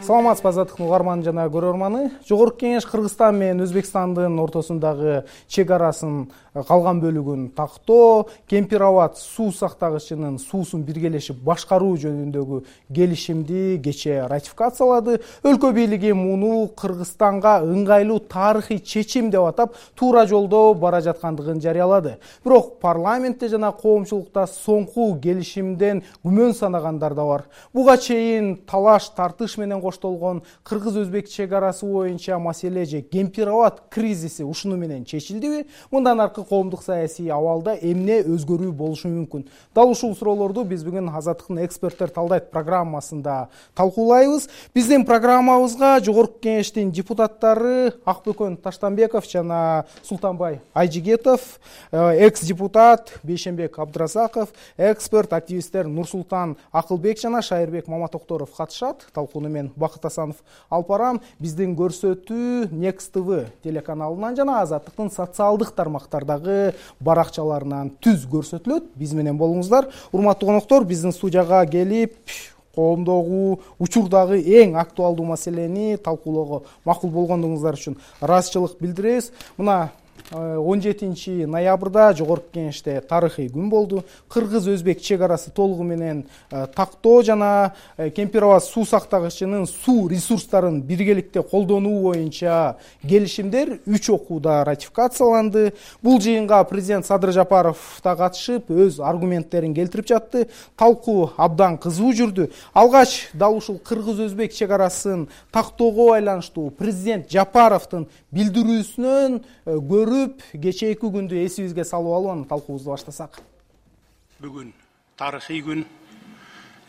Саламатсызбы азаттыктын угарманы жана көрөрманы. Жогорку Кеңеш Кыргызстан менен Өзбекстандын ортосундагы чек арасын калган бөлүгүн тактоо, Кемпир-Абад суу сактагычынын суусун биргелешип башкаруу жөнүндөгү келишимди кечээ ратификациялады. Өлкө бийлиги муну Кыргызстанга ыңгайлуу тарыхый чечим деп атап, туура жолдо бара жаткандыгын жарыялады. Бирок парламентте жана коомчулукта соңку келишимден күмөн санагандар да бар. Буга чейин талаш тартыш менен коштолгон кыргыз-өзбек чек арасы боюнча маселе же Кемпир-Абад кризиси ушуну менен чечилдиби? Мындан аркы коомдук саясий абалда эмне өзгөрүү болушу мүмкүн? Дал ушул суроолорду биз бүгүн Азаттыктын эксперттер талдайт программасында талкуулайбыз. Биздин программабызга Жогорку Кеңештин депутаттары Акбөкөн Таштанбеков жана Султанбай Айжигетов, экс-депутат Бейшенбек Абдыразаков, эксперт активисттер Нурсултан Акылбек жана Шайырбек Маматокторов катышат. Талкууну мен Бакыт Асанов алып барам. Биздин көрсөтүү Next TV телеканалынан жана Азаттыктын социалдык тармактардагы баракчаларынан түз көрсөтүлөт. Биз менен болуңуздар. Урматтуу коноктор, биздин студияга келип коомдогу учурдагы эң актуалдуу маселени талкуулоого макул болгондугуңуздар үчүн ыраазычылык билдиребиз. Мына 17 ноябрда Жогорку Кеңеште тарыхый күн болду. Кыргыз-өзбек чек арасы толугу менен тактоо жана Кемпир-Абад суу сактагычынын суу ресурстарын биргеликте колдонуу боюнча келишимдер 3 окууда ратификацияланды. Бул жыйынга президент Садыр Жапаров да катышып, өз аргументтерин келтирип жатты. Талкуу абдан кызуу жүрдү. Алгач дал ушул кыргыз-өзбек чек арасын тактоого байланыштуу президент Жапаровдун билдирүүсүнөн көрүп, кечээки күндү эсибизге салып алып, анан талкуубузду баштасак. Бүгүн тарыхый күн.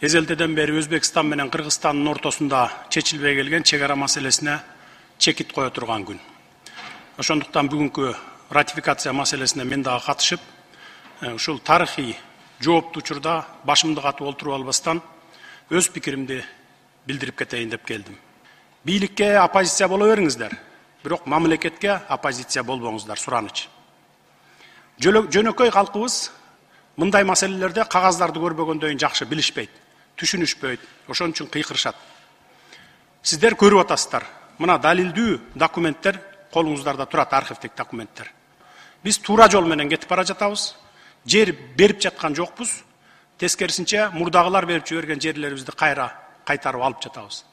Эзелтеден бери Өзбекстан менен Кыргызстандын ортосунда чечилбей келген чек ара маселесине чекит кое турган күн. Ошондуктан бүгүнкү ратификация маселесине мен дагы катышып, ушул тарыхый жооптуу учурда башымды катып олтуруп албастан өз пикиримди билдирип кетейин деп келдим. Бийликке оппозиция боло бериңиздер. Бирок мамлекетке оппозиция болбоңуздар, сураныч. Жөнөкөй калкыбыз мындай маселелерде кагаздарды көрбөгөндөн жакшы билишпейт, түшүнүшпөйт, ошон үчүн кыйкырышат. Сиздер көрүп атасыздар. Мына далилдүү документтер колуңуздарда турат, архивдик документтер. Биз туура жол менен кетип бара жатабыз. Жер берип жаткан жокпуз. Тескерисинче мурдагылар берип жиберген жерлерибизди кайтарып алып жатабыз.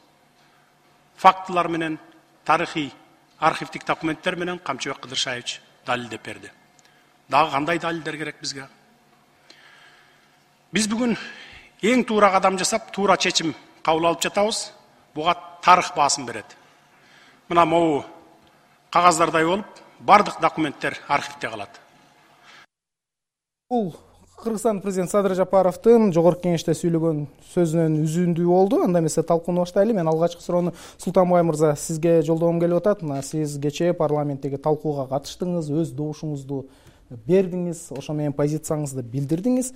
Фактылар менен, тарыхый архивдик документтер менен Камчыбек Кыдыршаевич далилдеп берди. Дагы кандай далилдер керек бизге? Биз бүгүн эң туура кадам жасап, туура чечим кабыл алып жатабыз. Буга тарых баасын берет. Мына могу кагаздардай болуп, бардык документтер архивде калат. Бул Кыргызстан президент Садыр Жапаровдун Жогорку Кеңеште сүйлөгөн сөзүнөн үзүндүү болду. Анда эмесе талкууну баштайлы. Мен алгачкы суроону Султанбай мырза сизге жолдогум келип атат. Мына сиз кечээ парламенттеги талкууга катыштыңыз, өз добушуңузду бердиңиз, ошо менен позицияңызды билдирдиңиз.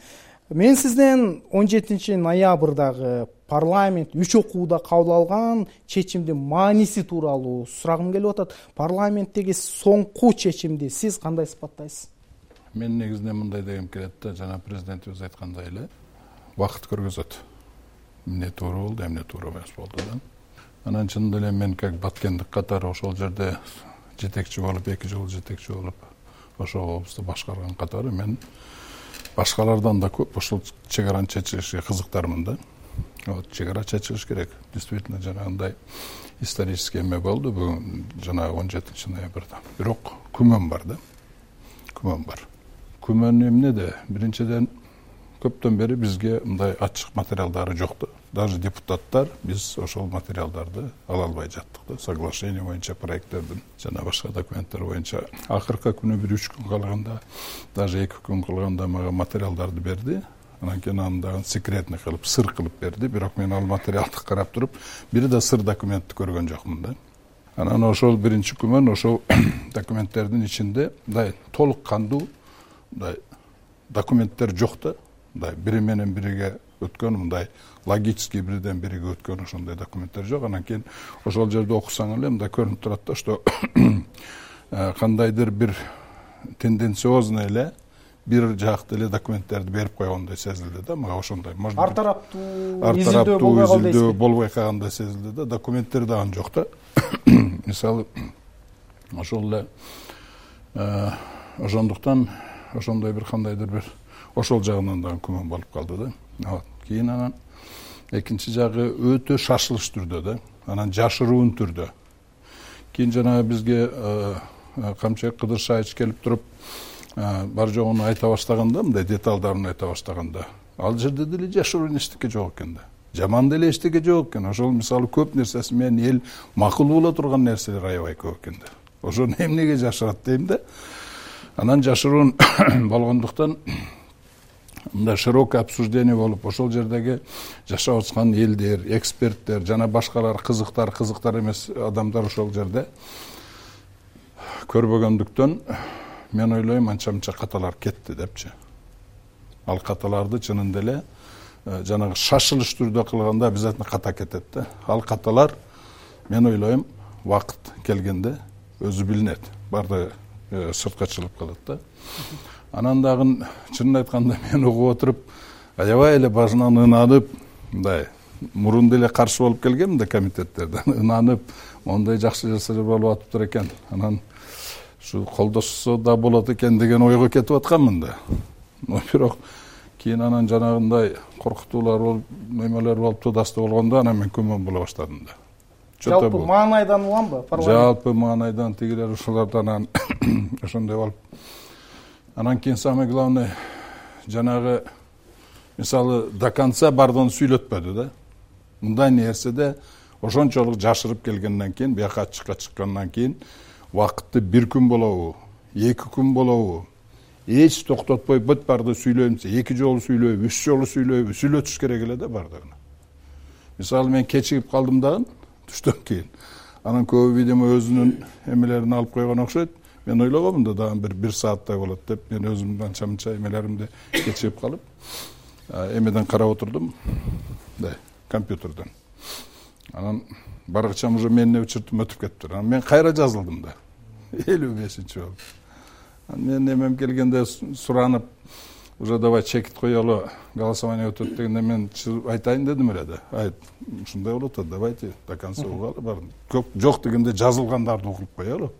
Мен сизден 17 ноябрдагы парламент 3 окууда кабыл алган чечимдин мааниси тууралуу сурагым келип атат. Парламенттеги соңку чечимди сиз кандай сыпаттайсыз? Мен негизинен мындай дегем келет да, жана президентибиз айткандай эле, убакыт көргөзөт. Эмне туура болду, эмне туура эмес болду да. Анан чынында эле мен как баткендик катары ошол жерде жетекчи болуп, 2 жыл жетекчи болуп, ошол облусту башкарган катары мен башкалардан да көп ошол чек араны чечилишине кызыктармын да. Вот чек ара чечилиш керек. Действительно жанагындай исторический эме болду бүгүн жана 17 ноябрда. Бирок күмөн бар да. Күмөн бар. Күмөн эмнеде? Биринчиден көптөн бери бизге мындай ачык материалдары жок да. Даже депутаттар биз ошол материалдарды ала албай жаттык да. Соглашение боюнча проекттердин жана башка документтер боюнча акыркы күнү 1-3 күн калганда, даже 2 күн калганда мага материалдарды берди. Анан кийин аны секретный кылып, сыр кылып берди. Бирок мен ал материалды карап туруп, бир да сыр документти көргөн жокмун да. Анан ошол биринчи күмөн ошол документтердин ичинде мындай толук кандуу документтер жок да. Бири менен бириге өткөн мындай логический бирден бириге өткөн ошондой документтер жок. Анан кийин ошол жерде окусаң эле мындай көрүнүп турат да, что кандайдыр бир тенденциозный эле бир жаактуу эле документтерди берип койгондой сезилди да, мага ошондой. Ар тараптуу изилдөө болбой калгандай сезилди да, документтер да ан жок да. Мисалы ошол эле ошондуктан ошондой бир кандайдыр бир ошол жагынан дагы күмөн болуп калды да. Кийин анан экинчи жагы өтө шашылыш түрдө да, анан жашыруун түрдө. Кийин жанагы бизге Камчыбек Кыдыршаевич келип туруп бар жогун айта баштаганда, мындай деталдарын айта баштаганда, ал жерде деле жашыруун эчтеке жок экен да. Жаман деле эчтеке жок экен. Ошол мисалы көп нерсеси менен эл макул боло турган нерселер аябай көп экен да. Ошону эмнеге жашырат дейм да. Анан жашыруун болгондуктан мындай широкое обсуждение болуп, ошол жердеги жашап аткан элдер, эксперттер жана башкалар кызыктар эмес адамдар ошол жерде көрбөгөндүктөн мен ойлойм анча-мынча каталар кетти депчи. Ал каталарды чынында эле жанагы шашылыш түрдө кылганда обязательно ката кетет да. Ал каталар мен ойлойм убакыт келгенде өзү билинет. Барды сыртка чыгып калат да. Анан дагы чынын айтканда мен угуп отуруп аябай эле башынан ынанып, мындай мурун деле каршы болуп келгем да комитеттерден, ынанып, мондай жакшы нерселер болуп атыптыр экен. Анан ушу колдошсо да болот экен деген ойго кетип атканмын да. Бирок кийин анан жанагындай коркутуулар болуп, немелер болуп туудасты болгондо анан мен күмөн боло баштадым да. Жалпы маанайдан уламбы? Жалпы маанайдан тигилер ушулардан анан ошондой болуп. Анан кийин самое главное жанагы мисалы до конца бардыгын сүйлөтпөдү да. Мындай нерседе ошончолук жашырып келгенден кийин, бияка ачыкка чыккандан кийин убакытты бир күн болобу, 2 күн болобу, эч токтотпой бүт барды сүйлөйм, 2 жолу сүйлөйбү, 3 жолу сүйлөйбү, сүйлөтүш керек эле да бардыгын. Мисалы мен кечигип калдым дагы түштөн кийин. Анан көбү видимо өзүнүн эмелерин алып койгон окшойт. Мен ойлогомун да дагы бир сааттай болот деп, мен өзүмдүн анча-мынча эмелеримди кечигип калып, эмеден карап отурдум, да, компьютерден. Анан баргычам уже менин учуртум өтүп кетиптир. Анан мен кайра жазылдым да. 55-чи болуп. Мен эмем келгенде суранып, уже давай чекит коелу, голосование өтөт дегенде мен айтайын дедим эле да. Айт, ушундай болот да, давайте до конца угалы бар. Жок дегенде жазылгандарды угуп коелу.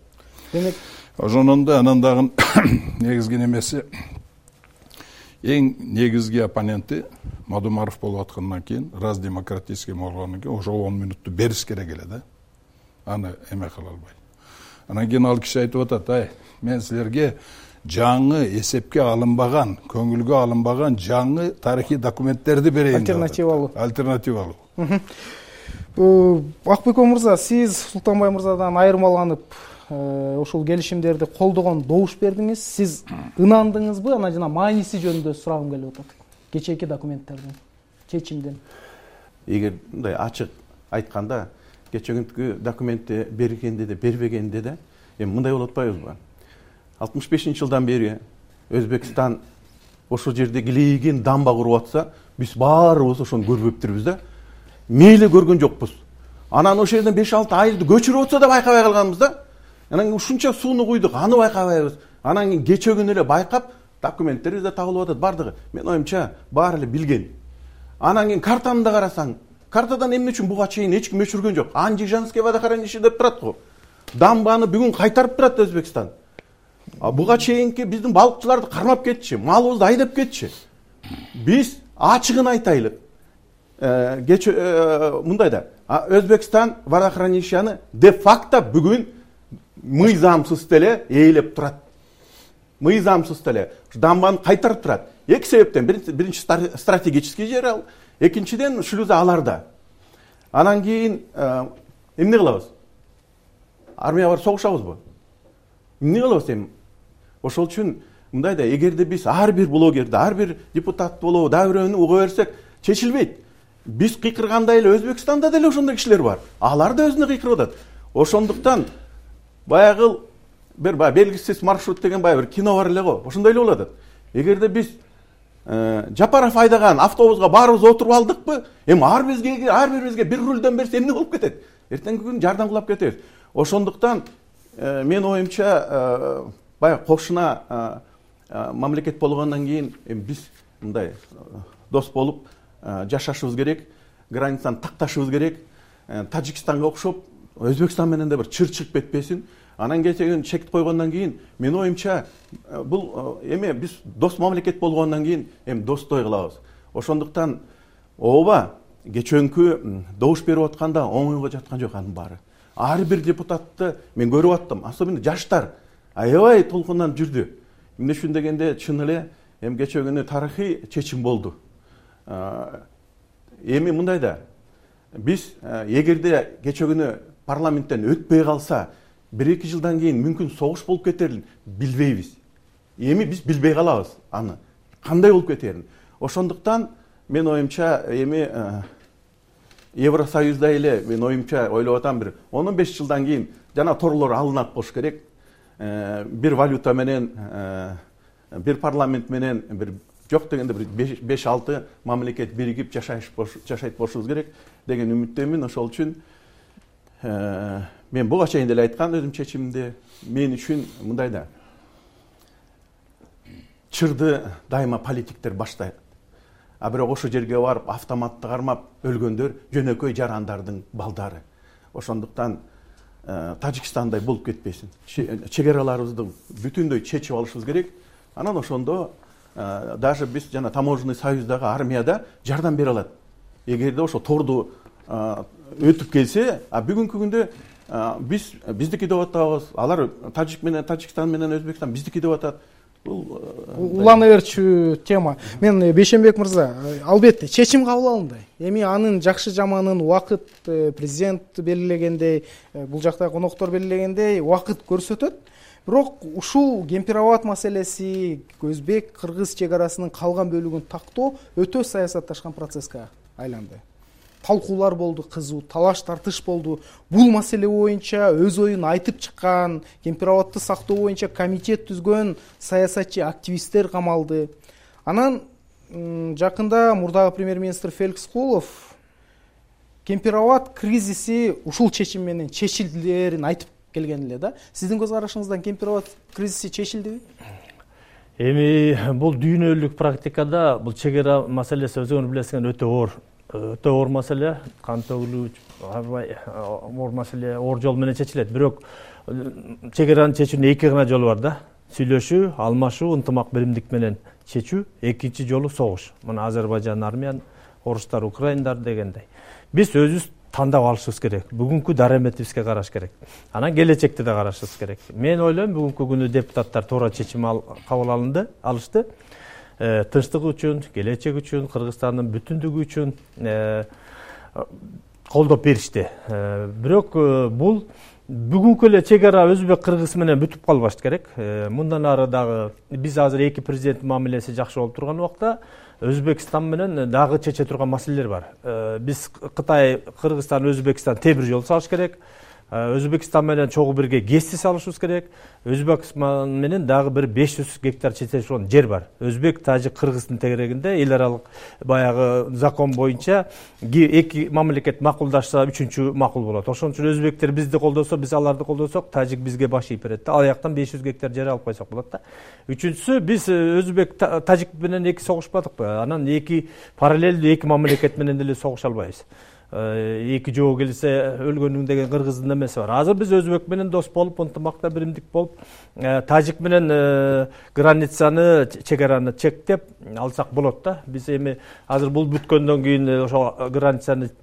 Демек, ошондон да анан дагы негизги немеси эң негизги оппоненти Мадумаров болуп аткандан кийин, раз демократический болгондон кийин ошол 10 минутту бериш керек эле да. Аны эме кыла албай. Анан кийин ал киши айтып атат, мен силерге жаңы эсепке алынбаган, көңүлгө алынбаган жаңы тарыхый документтерди берейин. Альтернативалуу. Акбеков мырза, сиз Султанбай мырзадан айырмаланып ошол келишимдерди колдогон добуш бердиңиз. Сиз ынандыңызбы? Анан жана мааниси жөнүндө сурагым келип атат. Кечээки документтердин чечимден. Эгер мындай ачык айтканда, кечээкүнкү документти бергенде де, бербегенде де, эми мындай болуп атпайбызбы? 65-жылдан бери Өзбекстан ошол жерде килейген дамба куруп атса, биз баарыбыз ошону көрбөптүрбүз да. Мейли көргөн жокпуз. Анан ошол жерден 5-6 айды көчүрүп атса да байкабай калганбыз да. Анан ушунча сууну куйдук, аны байкабайбыз. Анан кийин кечөгүн эле байкап, документтерибиз да табылып атат бардыгы. Мен оюмча баары эле билген. Анан кийин картаны да карасаң, картадан эмне үчүн буга чейин эч ким өчүргөн жок. Анжижанский водохранилище деп турат го. Дамбаны бүгүн кайтарып турат Өзбекстан. Буга чейинки биздин балыкчыларды кармап кетчи, малыбызды айдап кетчи. Биз ачыгын айтайлы. Мындай да, Өзбекстан водохранилищени де-факто бүгүн мыйзамсыз деле ээлеп турат. Мыйзамсыз деле дамбаны кайтарып турат. Эки себептен, биринчи стратегический жер ал, экинчиден шлюза аларда. Анан кийин эмне кылабыз? Армия бар согушабызбы? Эмне кылабыз эми? Ошол үчүн мындай да, эгерде биз ар бир блогерди, ар бир депутат болобу, дагы бирөөнү уга берсек, чечилбейт. Биз кыйкыргандай эле Өзбекстанда деле ошондой кишилер бар. Алар да өзүнө кыйкырып атат. Ошондуктан баягы бир белгисиз маршрут деген бир кино бар эле го. Ошондой эле болуп атат. Эгерде биз Жапаров айдаган автобуска баарыбыз отуруп алдыкпы, эми ар бирибизге бир рульдөн берсе эмне болуп кетет? Эртеңки күн жардам кылып кетебиз. Ошондуктан мен оюмча баягы кошуна мамлекет болгондон кийин биз мындай дос болуп жашашыбыз керек, границаны такташыбыз керек. Тажикстанга окшоп Өзбекстан менен да бир чыр чыгып кетпесин. Анан кечен чекит койгондон кийин менин оюмча бул эми биз дос мамлекет болгондон кийин эми достой кылабыз. Ошондуктан ооба кечөнкү добуш берип атканда оңойго жаткан жок анын баары. Ар бир депутатты мен көрүп аттым, особенно жаштар аябай толкундан жүрдү. Эмне үчүн дегенде чын эле эми кечээ күнү тарыхый чечим болду. Эми мындай да биз эгерде кечээ күнү парламенттен өтпөй калса 1-2 жылдан кийин мүмкүн согуш болуп кетерин билбейбиз. Эми биз билбей калабыз аны кандай болуп кетерин. Ошондуктан мен оюмча эми Евросоюзда эле мен оюмча ойлоп атам бир 15 жылдан кийин жана торлор алынат болуш керек. Бир валюта менен, бир парламент менен, бир жок дегенде бир 5-6 мамлекет биригип жашайт болушубуз керек деген үмүттөмүн. Ошол үчүн мен буга чейин деле айткан өзүм чечимимди. Мен үчүн мындай да чырды дайыма политиктер баштайт. А бирок ошол жерге барып автоматты кармап өлгөндөр жөнөкөй жарандардын балдары. Ошондуктан Тажикстандай болуп кетпесин. Чегараларыбызды бүтүндөй чечип алышыбыз керек. Анан ошондо даже биз жана таможенный союздагы армияда жардам бере алат. Эгерде ошо торду өтүп келсе, бүгүнкү күндө биз биздики деп атабыз, алар Тажикстан менен Өзбекстан биздики деп атат. Бул улана берчү тема. Мен Бейшенбек мырза, албетте чечим кабыл алынды. Эми анын жакшы жаманын убакыт президент белгилегендей, бул жакта коноктор белгилегендей убакыт көрсөтөт. Бирок ушул Кемпир-Абад маселеси, Өзбек кыргыз чегарасынын калган бөлүгүн тактоо өтө саясатташкан процесске айланды. Талкуулар болду, кызуу талаш тартыш болду. Бул маселе боюнча өз оюн айтып чыккан, Кемпир-Абадты сактоо боюнча комитет түзгөн саясатчы активисттер камалды. Анан жакында мурдагы премьер-министр Феликс Кулов Кемпир-Абад кризиси ушул чечим менен чечилдерин айтып келген эле да. Сиздин көз карашыңыздан Кемпир-Абад кризиси чечилдиби? Эми бул дүйнөлүк практикада бул чегара маселеси өзүңөр билесиңер өтө оор маселе, кан төгүлүү, оор маселе, оор жол менен чечилет. Бирок чегараны чечүүнүн эки гана жолу бар да. Сүйлөшүү, алмашуу, ынтымак биримдик менен чечүү, экинчи жолу согуш. Мына Азербайжан армиян, орустар, украиндар дегендей. Биз өзүбүз тандап алышыбыз керек. Бүгүнкү дараметибизге караш керек. Анан келечекте да карашыбыз керек. Мен ойлойм, бүгүнкү күнү депутаттар туура чечим кабыл алышты. Тынчтык үчүн, келечек үчүн, Кыргызстандын бүтүндүгү үчүн колдоп беришти. Бирок бул бүгүнкү эле чегара Өзбек кыргыз менен бүтүп калбаш керек. Мындан ары дагы биз азыр эки президенттин мамилеси жакшы болуп турган убакта Өзбекстан менен дагы чече турган маселелер бар. Биз Кытай, Кыргызстан, Өзбекстан темир жол салыш керек. Өзбекстан менен чогуу бирге ГЭСти салышыбыз керек. Өзбекстан менен дагы бир 500 гектар чечилген жер бар. Өзбек, Тажик, Кыргыздын тегерегинде эл аралык баягы закон боюнча эки мамлекет макулдашса, үчүнчү макул болот. Ошон үчүн өзбектер бизди колдосо, биз аларды колдосок, Тажик бизге баш ийип берет да. Ал жактан 500 гектар жер алып койсок болот да. Үчүнчүсү, биз Өзбек, Тажик менен эки согушпадыкпы? Анан эки параллелдүү эки мамлекет менен деле согуша албайбыз. Эки жоо келсе өлгөнүң деген кыргыздын эмеси бар. Азыр биз Өзбек менен дос болуп, ынтымакта биримдик болуп, Тажик менен границаны, чегараны чектеп алсак болот да. Биз эми азыр бул бүткөндөн кийин ошо границаны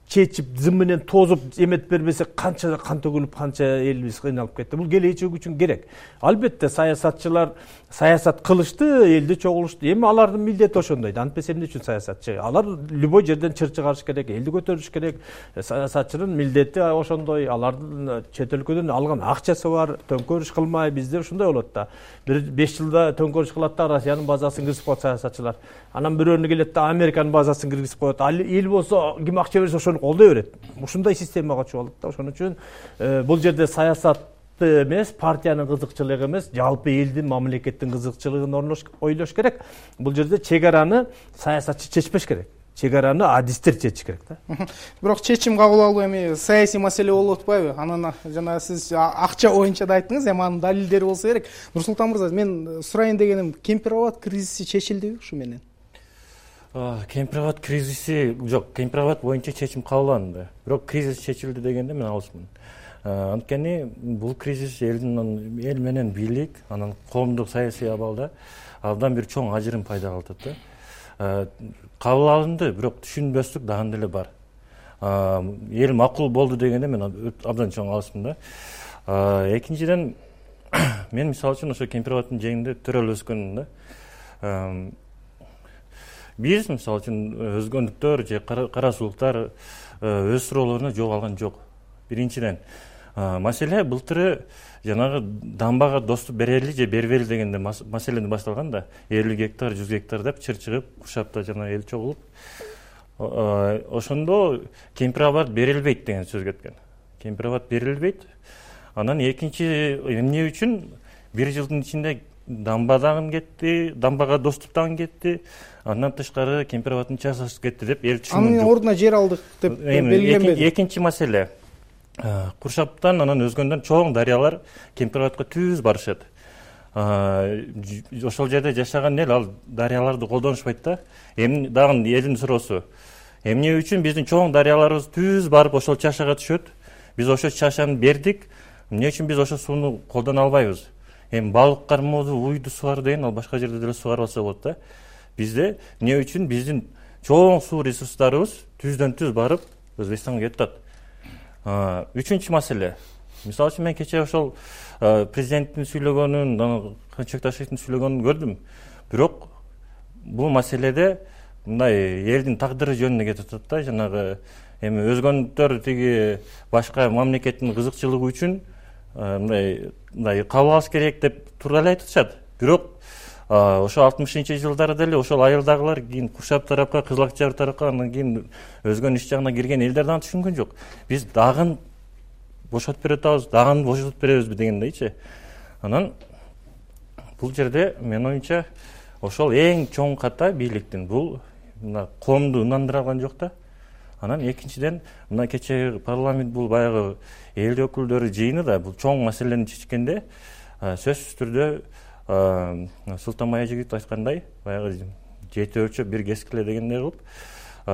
чечип, зым менен тозуп эмет бербесе канча кан төгүлүп, канча элибиз кыйналып кетти. Бул келечек үчүн керек. Албетте саясатчылар саясат кылышты, элди чогулушту. Эми алардын милдети ошондой да. Антпесе эмне үчүн саясатчы? Алар любой жерден чыр чыгарыш керек, элди көтөрүш керек. Саясатчынын милдети ошондой. Алардын чет өлкөдөн алган акчасы бар, төңкөрүш кылмай, бизде ошондой болот да. Бир 5 жылда төңкөрүш кылат да, Россиянын базасын киргизип коет саясатчылар. Анан бирөөнү келет да, Американын базасын киргизип коет. Ал эл болсо ким акча берсе ошону колдой берет. Ушундай системага чыгып алат да. Ошон үчүн бул жерде саясат эмес, партиянын кызыкчылыгы эмес, жалпы элдин, мамлекеттин кызыкчылыгын ойлош керек. Бул жерде чегараны саясатчы чечпеш керек. чек араны адистер чечиш керек да. Бирок чечим кабыл алуу эми саясий маселе болуп атпайбы? Анан жана сиз акча боюнча да айттыңыз, эми анын далилдери болсо керек. Нурсултан мырза, мен сурайын дегеним, Кемпир-Абад кризиси чечилдиби ушу менен? Кемпир-Абад кризиси жок, Кемпир-Абад боюнча чечим кабыл алынды. Бирок кризис чечилди дегенде мен алысмын. Анткени бул кризис эл менен бийлик, анан коомдук саясий абалда абдан бир чоң ажырым пайда кылып атат да. Кабыл алынды, бирок түшүнбөстүк дагы деле бар. Эл макул болду дегенде мен абдан чоң алысмын да. Экинчиден, мен мисалы үчүн ошо Кемпир-Абаддын жээгинде төрөлүп өскөнмүн да. Биз мисалы үчүн өзгөндүктөр же кара сулуктар өз суроолоруна жооп алган жок. Биринчиден, маселе былтыры жанагы дамбага доступ берели же бербейли дегенде маселени башталган да. 50 гектар, 100 гектар деп чыр чыгып, Куршапта жана эл чогулуп, ошондо Кемпир-Абад берилбейт деген сөз кеткен. Кемпир-Абад берилбейт. Анан экинчи эмне үчүн 1 жылдын ичинде дамба дагы кетти, дамбага доступ дагы кетти. Андан тышкары Кемпир-Абаддын часасы кетти деп эл түшүнгөн жок. Анын ордуна жер алдык деп белгиленбеди. Экинчи маселе, Куршаптан анан өзгөндөн чоң дарыялар Кемпир-Абадка түз барышат. Ошол жерде жашаган эл ал дарыяларды колдонушпайт да. Эми дагы элдин суроосу, эмне үчүн биздин чоң дарыяларыбыз түз барып ошол чашага түшөт? Биз ошол чашаны бердик, эмне үчүн биз ошол сууну колдоно албайбыз? Эми балык кармоодо уйду сугар деген ал башка жерде деле сугарылса болот да. Бизде эмне үчүн биздин чоң суу ресурстарыбыз түздөн түз барып Өзбекстанга кетип атат? Үчүнчү маселе. Мисалы үчүн мен кечээ ошол президенттин сүйлөгөнүн, Канчыбек Ташиевдин сүйлөгөнүн көрдүм. Бирок бул маселеде мындай элдин тагдыры жөнүндө кетип атат да, жанагы эми өзгөндүктөр тиги башка мамлекеттин кызыкчылыгы үчүн мындай кабыл алыш керек деп туура эле айтып атышат. Бирок ошо 60-жылдары деле ошол айылдагылар кийин Куршап тарапка, Кызыл Акчар тарапка, андан кийин өзгөн иш жагына кирген элдер дагы түшүнгөн жок. Биз дагы бошотуп берип атабыз, дагы бошотуп беребизби дегендейчи. Анан бул жерде менин оюмча ошол эң чоң ката бийликтин бул коомду ынандыра алган жок да. Анан экинчиден, мына кечээ парламент бул баягы эл өкүлдөрү жыйыны да бул чоң маселени чечкенде сөзсүз түрдө Султанбай Ажигит айткандай, баягы жети өлчөп бир кескиле дегендей кылып,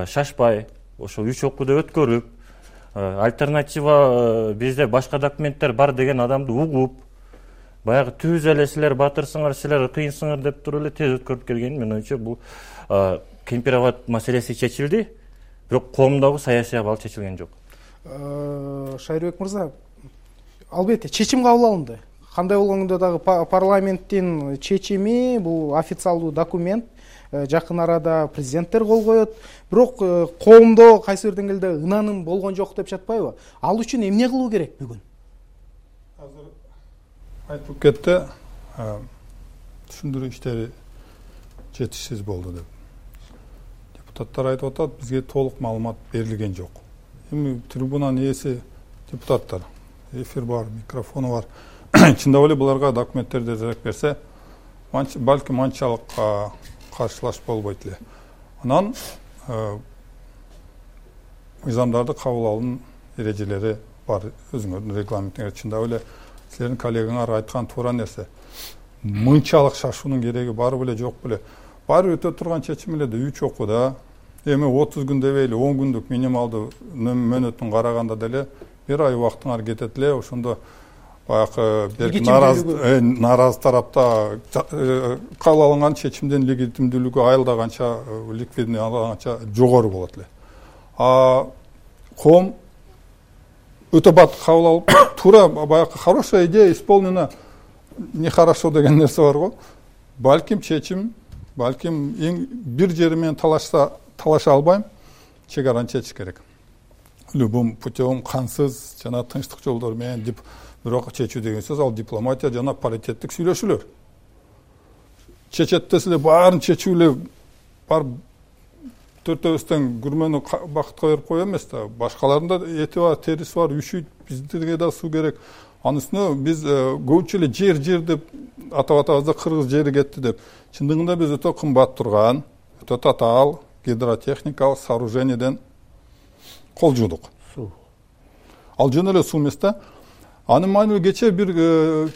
шашпай, ошол 3 окууду өткөрүп, альтернатива бизде башка документтер бар деген адамды угуп, баягы түз эле силер батырсыңар, силер кыйынсыңар деп туруп эле тез өткөрүп келген. Мен оюмча бул Кемпир-Абад маселеси чечилди, бирок коомдогу саясий абал чечилген жок. Шайырбек мырза, албетте чечим кабыл алынды. Кандай болгондо дагы парламенттин чечими, бул официалдуу документ, жакын арада президенттер кол коет. Бирок коомдо кайсы бир деңгээлде ынаным болгон жок деп жатпайбы? Ал үчүн эмне кылуу керек бүгүн? Азыр айтылып кетти, түшүндүрүү иштери жетишсиз болду деп. Депутаттар айтып атат, бизге толук маалымат берилген жок. Эми трибунанын ээси депутаттар, эфир бар, микрофону бар. Чындап эле буларга документтерди эзерээк берсе, балким анчалык каршылаш болбойт эле. Анан мыйзамдарды кабыл алуунун эрежелери бар, өзүңөрдүн регламентиңер. Чындап эле силердин коллегаңар айткан туура нерсе. Мынчалык шашуунун кереги бар беле, жок беле? Баары өтө турган чечим эле да 3 окууда. Эми 30 күн дебейли, 10 күндүк минималдуу мөөнөтүн караганда деле 1 ай убактыңар кетет эле. Ошондо баягы нааразы тарапта кабыл алынган чечимдин легитимдүүлүгү айылдаганча, ликвидный алганча жогору болот эле. Коом өтө бат кабыл алып, туура баягы хорошая идея исполнена, нехорошо деген нерсе бар го. Балким чечим, балким бир жери менен талаша албайм, чек араны чечиш керек. Любым путем кансыз жана тынчтык жолдор менен деп бирок чечүү деген сөз ал дипломатия жана паритеттик сүйлөшүүлөр. Чечет десе баарын чечүү эле бар төртөөбүздөн күрмөнү бакытка берип кое эмес да. Башкаларында эти бар, териси бар, үшүйт, бизге да суу керек. Анын үстүнө биз көбүнчө эле жер деп атап атабыз да, кыргыз жери кетти деп. Чындыгында биз өтө кымбат турган, өтө татаал, гидротехникалык сооружениеден кол жуудук. Ал жөн эле суу эмес да. Анын маанилүү кече бир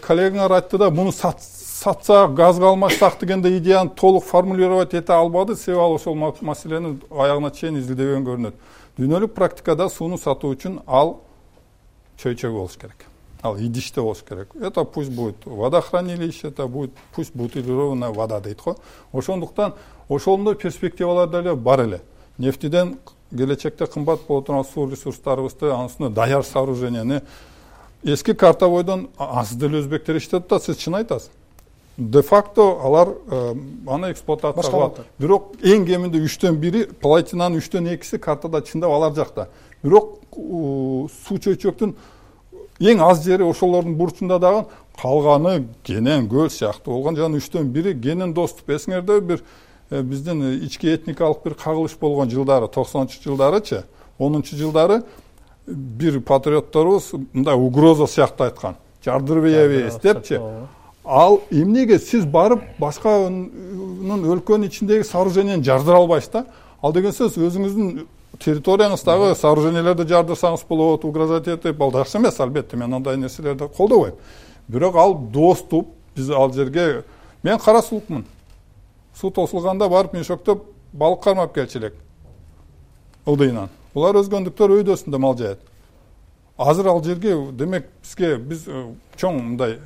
коллегаңар айтты да, муну сатсак, газга алмашсак дегенде идеяны толук формулировать эте албады, себеби ал ошол маселени аягына чейин изилдебеген көрүнөт. Дүйнөлүк практикада сууну сатуу үчүн ал чөйчөк болуш керек. Ал идиште болуш керек. Это пусть будет водохранилище, это будет пусть бутилированная вода дейт го. Ошондуктан ошондой перспективалар деле бар эле. Нефтиден келечекте кымбат боло турган суу ресурстарыбызды, анын үстүнө даяр сооруженияны эски карта бойдон аз деле өзбектер иштетет да, сиз чын айтасыз. Де факто алар аны эксплуатация кылат. Бирок эң кеминде 3/1, платинанын 3/2 картада чындап алар жакта. Бирок суу чөйчөктүн эң аз жери ошолордун бурчунда дагы, калганы Кенен, Көл сыяктуу болгон, жана 3/1 Кенен доступ. Эсиңерде бир биздин ички этникалык бир кагылыш болгон жылдары, 90-жылдарычы, 10-жылдары бир патриотторубуз мындай угроза сыяктуу айткан. Жардырып ийебиз депчи. Ал эмнеге сиз барып башканын өлкөнүн ичиндеги сооруженияны жардыра албайсыз да? Ал деген сөз өзүңүздүн территорияңыздагы сооружениялерди жардырсаңыз болот, угрожать этип, ал жакшы эмес, албетте, мен андай нерселерди колдобойм. Бирок ал доступ, биз ал жерге, мен Кара Сулукмун. Суу тосулганда барып мешоктоп балык кармап келчү элек. Ылдыйынан. Булар өзгөндүктөр өйдөсүндө мал жаят. Азыр ал жерге, демек, биз чоң мындай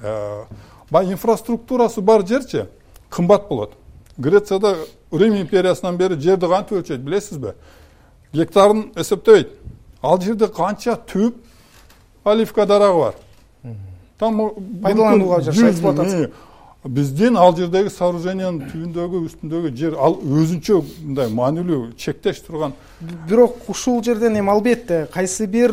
инфраструктурасы бар жерчи кымбат болот. Грецияда Рим империясынан бери жерди кантип өлчөйт, билесизби? Гектарын эсептебейт. Ал жерде канча түп оливка дарагы бар. Там пайдаланууга жараша эксплуатация. Биздин ал жердеги сооружениянын түбүндөгү, үстүндөгү жер ал өзүнчө мындай маанилүү чектеш турган. Бирок ушул жерден эми албетте кайсы бир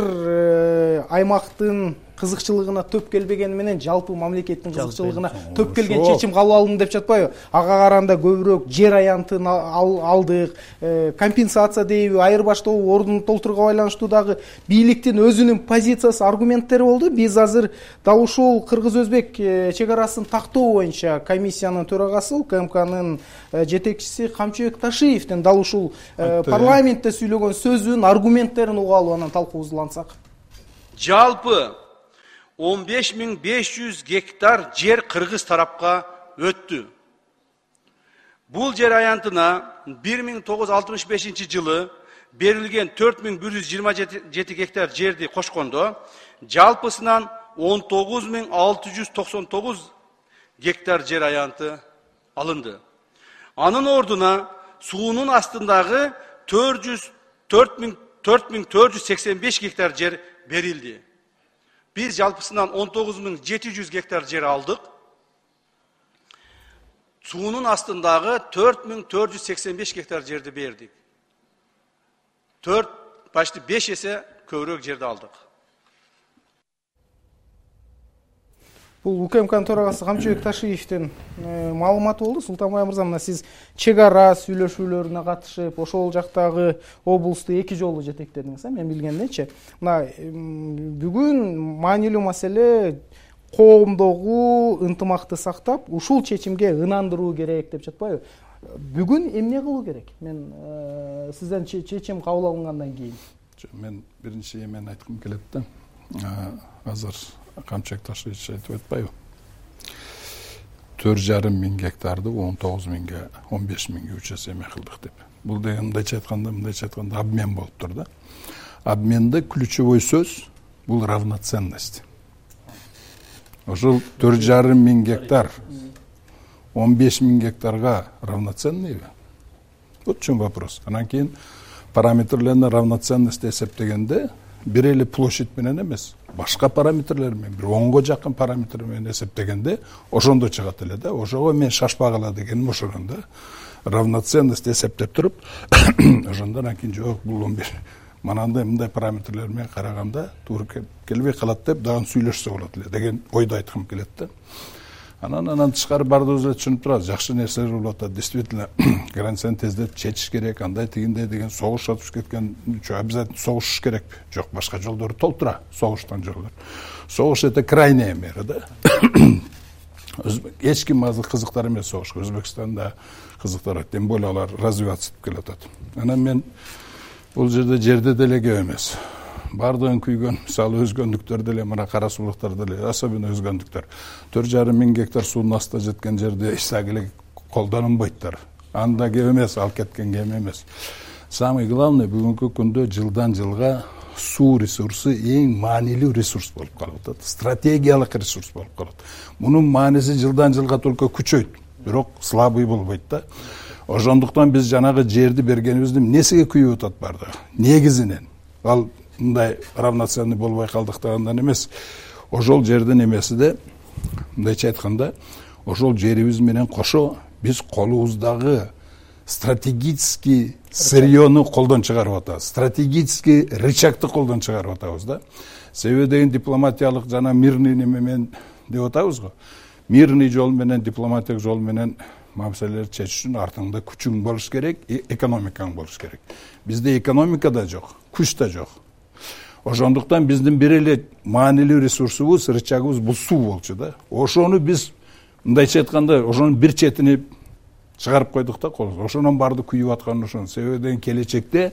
аймактын кызыкчылыгына төп келбегени менен жалпы мамлекеттин кызыкчылыгына төп келген чечим кабыл алынды деп жатпайбы? Ага караганда көбүрөөк жер аянтын алдык, компенсация дейби, айырбаштоо ордун толтурууга байланыштуу дагы бийликтин өзүнүн позициясы, аргументтери болду. Биз азыр дал ушул кыргыз-өзбек чек арасын тактоо боюнча комиссиянын төрагасы, УКМКнын жетекчиси Камчыбек Ташиевдин дал ушул парламентте сүйлөгөн сөзүн, аргументтерин угалы, анан талкуубузду улантсак. Жалпы 15.500 гектар жер кыргыз тарапка өттү. Бул жер аянтына 1965 жылы берилген 4127 гектар жерди кошкондо, жалпысынан 19.699 гектар жер аянты алынды. Анын ордуна суунун астындагы 4485 гектар жер берилди. Biz жалпысынан 19.700 гектар жер алдык. Суунун астындагы 4485 гектар жерди бердик. 5 эсе көбүрөөк жерди алдык. Бул УКМКнын төрагасы Камчыбек Ташиевдин маалыматы болду. Султанбай мырза, мына сиз чек ара сүйлөшүүлөрүнө катышып, ошол жактагы облусту 2 жолу жетектедиңиз, мен билгенденчи. Мына бүгүн маанилүү маселе коомдогу ынтымакты сактап, ушул чечимге ынандыруу керек деп жатпайбы? Бүгүн эмне кылуу керек? Мен сизден чечим кабыл алынгандан кийин. Мен биринчи эмен айткым келет да. Азыр Камчыбек Ташиевич айтып атпайбы? 4,5 миң гектарды 19 миңге, 15 миңге 3 эсе эме кылдык деп. Бул деген мындайча айтканда обмен болуп тур да. Обменде ключевой сөз бул равноценность. Ошол 4,5 миң гектар 15 миң гектарга равноценныйбы? Вот в чем вопрос. Анан кийин параметрлерine равноценность эсептегенде бир эле площадь менен эмес, башка параметрлер менен, бир 10го жакын параметр менен эсептегенде ошондо чыгат эле да. Ошого мен шашпагыла дегеним ошондо да. Равноценность эсептеп туруп, ошондо анан кийин жок, бул бир мындай параметрлер менен караганда туура келбей калат деп дагы сүйлөшсө болот эле деген ойду айткым келет да. Анан тышкары бардыгыбыз эле түшүнүп турабыз, жакшы нерселер болуп атат. Действительно, границаны тездетип чечиш керек, андай тигиндей деген согуш атып кеткен, обязательно согушуш керекпи? Жок, башка жолдору толтура, согуштан жолдор. Согуш это крайняя мера, да. эч ким азыр кызыктар эмес согушка. Өзбекстанда кызыктар, тем более алар развиваться этип келатат. Анан мен бул жерде деле кеп эмес. Бардыгын күйгөн, мисалы өзгөндүктөр деле, мына кара суулуктар деле, особенно өзгөндүктөр. 4,5 мың гектар суунун астында жеткен жерде ишсак эле колдонулбойттар. Анда кеп эмес, ал кеткен кем эмес. Самый главный бүгүнкү күндө жылдан жылга суу ресурсу эң маанилүү ресурс болуп калып атат. Стратегиялык ресурс болуп калат. Мунун мааниси жылдан жылга только күчөйт, бирок слабый болбойт да. Ошондуктан биз жанагы жерди бергенибизди эмнесиге күйүп атат бардыгы? Негизинен ал мындай равноценный болбой калдыктыгынан эмес. Ошол жердин эмесиде, мындайча айтканда, ошол жерибиз менен кошо биз колубуздагы стратегический сырьёну колдон чыгарып атабыз. Стратегический рычагты колдон чыгарып атабыз да. Себеби деген дипломатиялык жана мирный неме менен деп атабыз го. Мирный жол менен, дипломатиялык жол менен маселелерди чечиш үчүн артыңда күчүң болуш керек, экономикаң болуш керек. Бизде экономика да жок, күч да жок. Ошондуктан биздин бир эле маанилүү ресурсубуз, рычагыбыз бул суу болчу да. Ошону биз мындайча айтканда, ошонун бир четини чыгарып койдук да колубуз. Ошонун барды күйүп аткан ошон. Себеби деген келечекте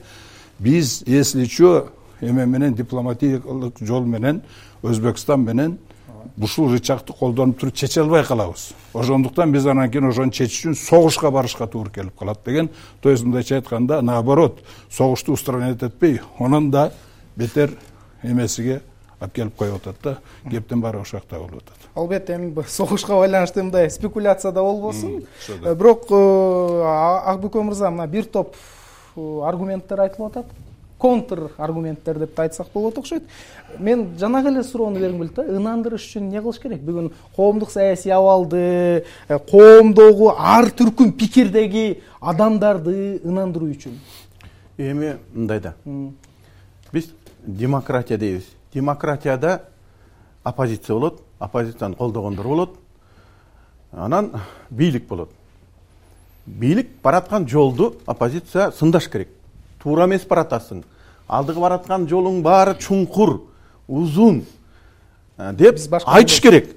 биз если чо эме менен дипломатиялык жол менен Өзбекстан менен ушул рычагты колдонуп туруп чече албай калабыз. Ошондуктан биз анан кийин ошону чечиш үчүн согушка барышка туура келип калат деген. То есть мындайча айтканда, наоборот, согушту устранять этпей, онун да бетер эмесиге алып келип коюп атат да. Кептин баары ошол жакта болуп атат. Албетте, эми согушка байланыштуу мындай спекуляция да болбосун. Бирок Акбүкө мырза, мына бир топ аргументтер айтылып атат. Контр аргументтер деп айтсак болот окшойт. Мен жанагы эле суроону бергим келет да. Ынандырыш үчүн эмне кылыш керек? Бүгүн коомдук саясий абалды, коомдогу ар түркүм пикирдеги адамдарды ынандыруу үчүн. Эми мындай да. Биз демократия дейбиз. Демократияда оппозиция болот, оппозицияны колдогондор болот. Анан бийлик болот. Бийлик бараткан жолду оппозиция сындаш керек. Туура эмес баратасың. Алдыгы бараткан жолуң баары чуңкур, узун деп айтыш керек.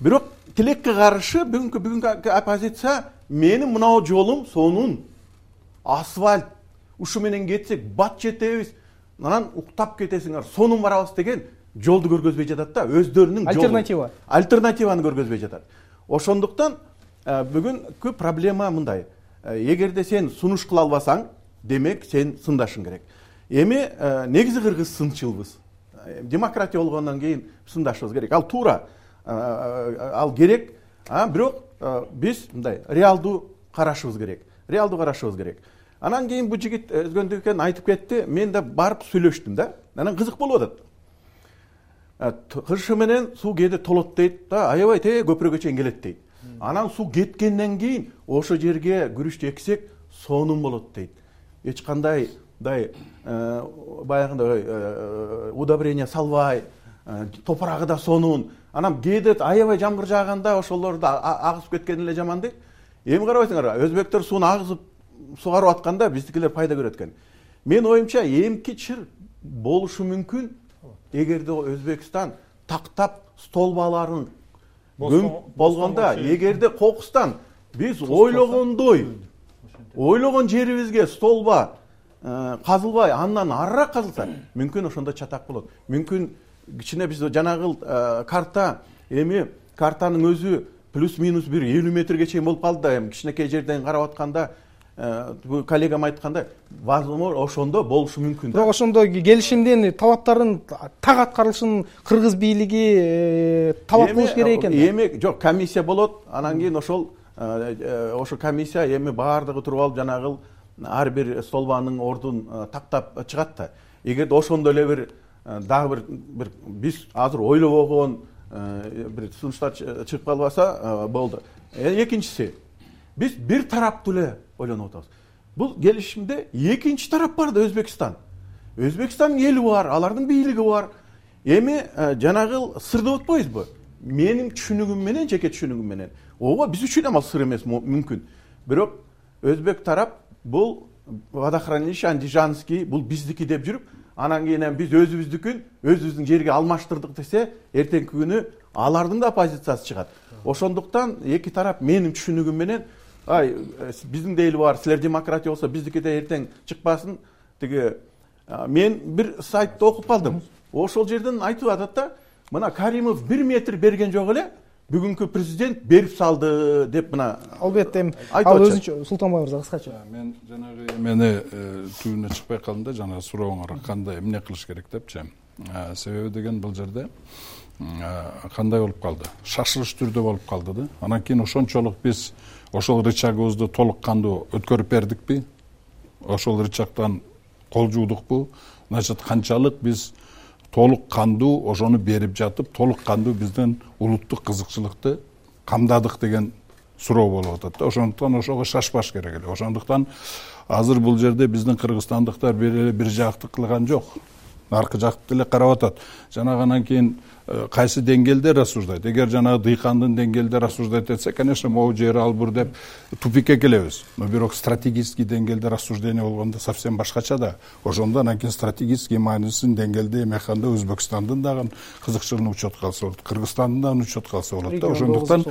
Бирок тилекке каршы бүгүнкү оппозиция менин мынау жолум сонун асфальт, ушу менен кетсек бат жетебиз, анан уктап кетесиңер, сонун барабыз деген жолду көргөзбөй жатат да, өздөрүнүн жолун. Альтернативаны көргөзбөй жатат. Ошондуктан бүгүнкү проблема мындай. Эгерде сен сунуш кыла албасаң, демек сен сындашың керек. Эми негизи кыргыз сынчылбыз. Демократия болгондон кийин сындашыбыз керек. Ал туура, ал керек. Бирок биз мындай реалдуу карашыбыз керек. Реалдуу карашыбыз керек. Анан кийин бу жигит өзгөндүк экен айтып кетти. Мен да барып сүйлөштүм да. Анан кызык болуп атат. Кыршы менен суу кээде толот дейт да, аябай көпүрөгө чейин келет дейт. Анан суу кеткенден кийин ошо жерге күрүчтү эксек сонун болот дейт. Эч кандай баягындай удобрение салбай, топурагы да сонун. Анан кээде аябай жамгыр жааганда ошолорду агызып кеткен эле жаман дейт. Эми карабайсыңар, өзбектер сууну агызып сугарып атканда биздикилер пайда көрөт экен. Мен оюмча эмки чыр болушу мүмкүн, эгерде Өзбекстан тактап столбаларын болгондо, эгерде кокустан биз ойлогон жерибизге столба казылбай, андан арыраак казылса, мүмкүн ошондо чатак болот. Мүмкүн кичине биз жанагы карта, эми картанын өзү плюс-минус 50 метрге чейин болуп калды да, эми кичинекей жерден карап атканда, бу коллегам айткандай, возможно, ошондо болушу мүмкүн. Бирок ошондо келишимдин талаптарын так аткарылышын кыргыз бийлиги талап кылыш керек экен. Эми жок, комиссия болот, анан кийин ошол комиссия эми баардыгы туруп алып жанагы ар бир столбанын ордун тактап чыгат да. Эгерде ошондо эле бир дагы бир биз азыр ойлобогон бир сунуштар чыгып калбаса болду. Экинчиси, биз бир тараптуу эле ойлонуп атабыз. Бул келишимде экинчи тарап бар да, Өзбекстан. Өзбекстандын эли бар, алардын бийлиги бар. Эми жанагы сыр деп атпайбызбы? Менин түшүнүгүм менен, жеке түшүнүгүм менен. Ооба, биз үчүн ал сыр эмес мүмкүн. Бирок Өзбек тарап бул водохранилище Андижанский, бул биздики деп жүрүп, анан кийин биз өзүбүздүкүн өзүбүздүн жерге алмаштырдык десе, эртеңки күнү алардын да позициясы чыгат. Ошондуктан эки тарап менин түшүнүгүм менен биздин дейли бар, силер демократия болсо биздикиде эртең чыкпасын. Тиги мен бир сайтты окуп калдым. Ошол жерден айтып атат да, мына Каримов 1 метр берген жок эле, бүгүнкү президент берип салды деп мына. Албетте, ал өзүнчө Султанбай мырза кыскача. Мен жанагы эмени түбүнө чыкпай калдым да, жана сурооңорго кандай эмне кылыш керек депчи. Себеби деген бул жерде кандай болуп калды? Шашылыш түрдө болуп калды да. Анан кийин ошончолук биз ошол рычагыбызды толук кандуу өткөрүп бердикпи? Ошол рычагдан кол жуудукпу? Значит, канчалык биз толук кандуу ошону берип жатып, толук кандуу биздин улуттук кызыкчылыкты камдадык деген суроо болуп атат да. Ошондуктан ошого шашпаш керек эле. Ошондуктан азыр бул жерде биздин кыргызстандыктар бир жактык кылган жок. Аркы жакты эле карап атат. Жанагы анан кийин кайсы деңгээлде рассуждайт. Эгер жанагы дыйкандын деңгээлде рассуждать этсе, конечно, могу жер албыр деп тупикке келебиз. Но бирок стратегический деңгээлде рассуждение болгондо совсем башкача да. Ошондо анан кийин стратегический маанисин деңгээлде эмеканда Өзбекстандын дагы кызыкчылыгын учетко алса болот, Кыргызстандын дагы учетко алса болот да. Ошондуктан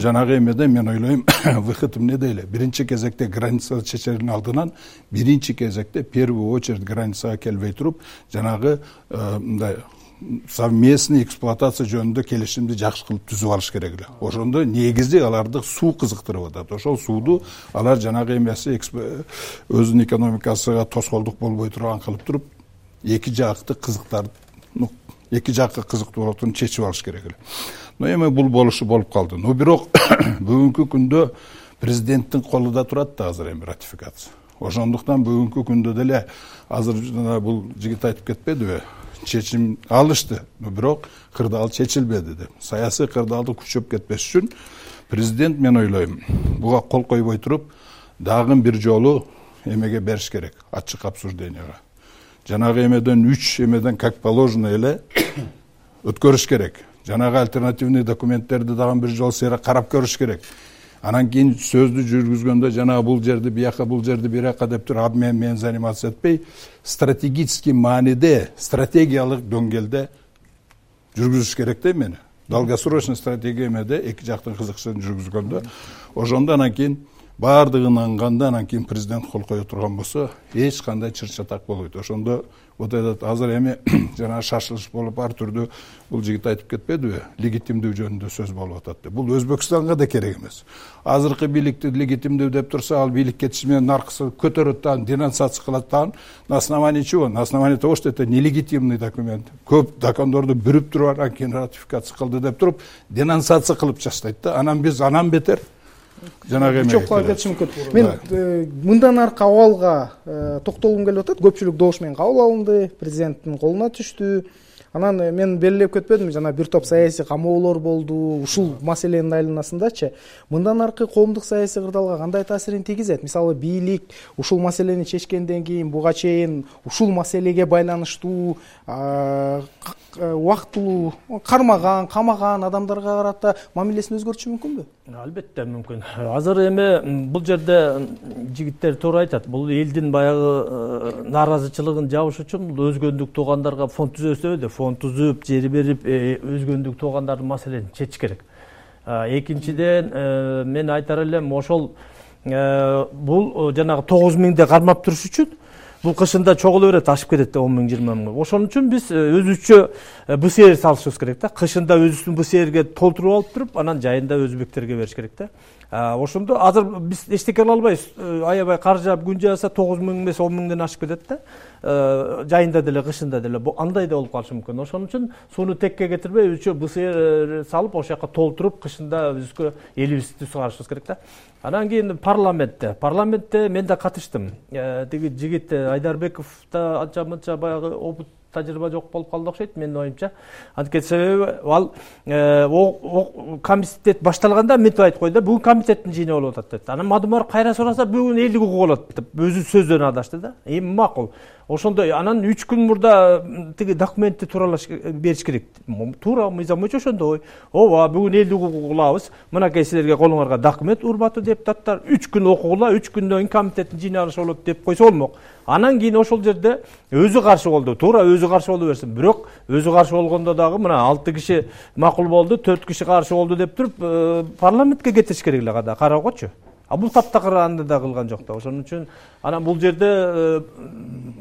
жанагы эмеде мен ойлойм, выход эмне дейли? Биринчи кезекте граница чечердин алдынан биринчи кезекте первую очередь границага келбей туруп, жанагы мындай совместный эксплуатация жөнүндө келишимди жакшы кылып түзүп алыш керек эле. Ошондо негизи аларды суу кызыктырып атат. Ошол сууду алар жанагы эмеси өзүнүн экономикасына тоскоолдук болбой турган кылып туруп, эки жакты кызыктарды, эки жакка кызыктуу болотун чечип алыш керек эле. Но эми бул болушу болуп калды. Но бирок бүгүнкү күндө президенттин колунда турат да азыр эми ратификация. Ошондуктан бүгүнкү күндө деле азыр бул жигит айтып кетпедиби? Чечим алышты, бирок кырдаал чечилбеди деп. Саясий кырдаалды күчөп кетпеш үчүн президент, мен ойлойм, буга кол койбой туруп, дагы бир жолу эмеге бериш керек, ачык обсужденияга. Жанагы эмеден 3 эмеден как положено эле өткөрүш керек. Жанагы альтернативный документтерди дагы бир жолу сейре карап көрүш керек. Анан кийин сөздү жүргүзгөндө жана бул жерди бияка, бул жерди биряка деп туруп, абмен мен заниматься этпей, стратегический мааниде, стратегиялык дөңгөлдө жүргүзүш керек да мени. Долгосрочный стратегия эмеде эки жактын кызыкчылыгын жүргүзгөндө, ошондо анан кийин баардыгын аңганда, анан кийин президент кол кое турган болсо, эч кандай чыр-чатак болбойт. Ошондо вот этот азыр эми жана шашылыш болуп ар түрдүү бул жигит айтып кетпедиби? Легитимдүү жөнүндө сөз болуп атат деп. Бул Өзбекстанга да керек эмес. Азыркы бийликти легитимдүү деп турса, ал бийлик кетиши менен наркысы көтөрөт да, денонсация кылат да. На основании чего? На основании того, что это нелегитимный документ. Көп закондорду бүрүп туруп, анан кийин ратификация кылды деп туруп, денонсация кылып таштайт да. Анан биз анан бетер жанагы эме кетиш мүмкүн. Мен мындан аркы абалга токтолгум келип атат. Көпчүлүк добуш менен кабыл алынды, президенттин колуна түштү. Анан мен белгилеп кетпедимби, жана бир топ саясий камоолор болду, ушул маселенин айланасындачы. Мындан аркы коомдук саясий кырдаалга кандай таасирин тийгизет? Мисалы, бийлик ушул маселени чечкенден кийин буга чейин ушул маселеге байланыштуу убактылуу кармаган, камаган адамдарга карата мамилесин өзгөртүшү мүмкүнбү? Албетте мүмкүн. Азыр эми бул жерде жигиттер туура айтат. Бул элдин баягы нааразычылыгын жабыш үчүн бул өзгөндүк туугандарга фонд түзөсө деп, фонд түзүп, жери берип, өзгөндүк туугандардын маселесин чечиш керек. Экинчиден, мен айтар элем, ошол бул жанагы 9000 кармап туруш үчүн бул кышында чогуло берет, ашып кетет да 10 000, 20 000. Ошон үчүн биз өзүчө БСР салышыбыз керек да. Кышында өзүбүздүн БСРге толтуруп алып туруп, анан жайында өзбектерге бериш керек да. Ошондо азыр биз эчтеке кыла албайбыз. Аябай кар жаап күн жааса 9 000 эмес 10 000ден ашып кетет да. Жайында деле, кышында деле андай да болуп калышы мүмкүн. Ошон үчүн сууну текке кетирбей, өзүчө БСР салып, ошол жака толтуруп, кышында өзгө элибизди чыгарышыбыз керек да. Анан кийин парламентте мен да катыштым. Тиги жигит Айдарбеков да анча-мынча баягы опыт тажрыйба жок болуп калды окшойт, менин оюмча. Анткени себеби ал комитет башталганда мынтип айтып койду да, бүгүн комитеттин жыйыны болуп атат деп. Анан мадумар кайра сураса бүгүн элдик укук болот деп өзү сөздөн адашты да. Эми макул. ошондой анан 3 күн мурда тиги документти тууралаш бериш керек. Туура мыйзам боюнча ошондой. Ооба, бүгүн элди укугу кылабыз. Мынакей силерге колуңарга документ, урматтуу депутаттар, 3 күн окугула, 3 күндөн кийин комитеттин жыйналышы болот деп койсо болмок. Анан кийин ошол жерде өзү каршы болду. Туура өзү каршы боло берсин. Бирок өзү каршы болгондо дагы мына 6 киши макул болду, 4 киши каршы болду деп туруп парламентке кетириш керек эле када кароогочу. А бул таптакыр анда да кылган жок да. Ошон үчүн анан бул жерде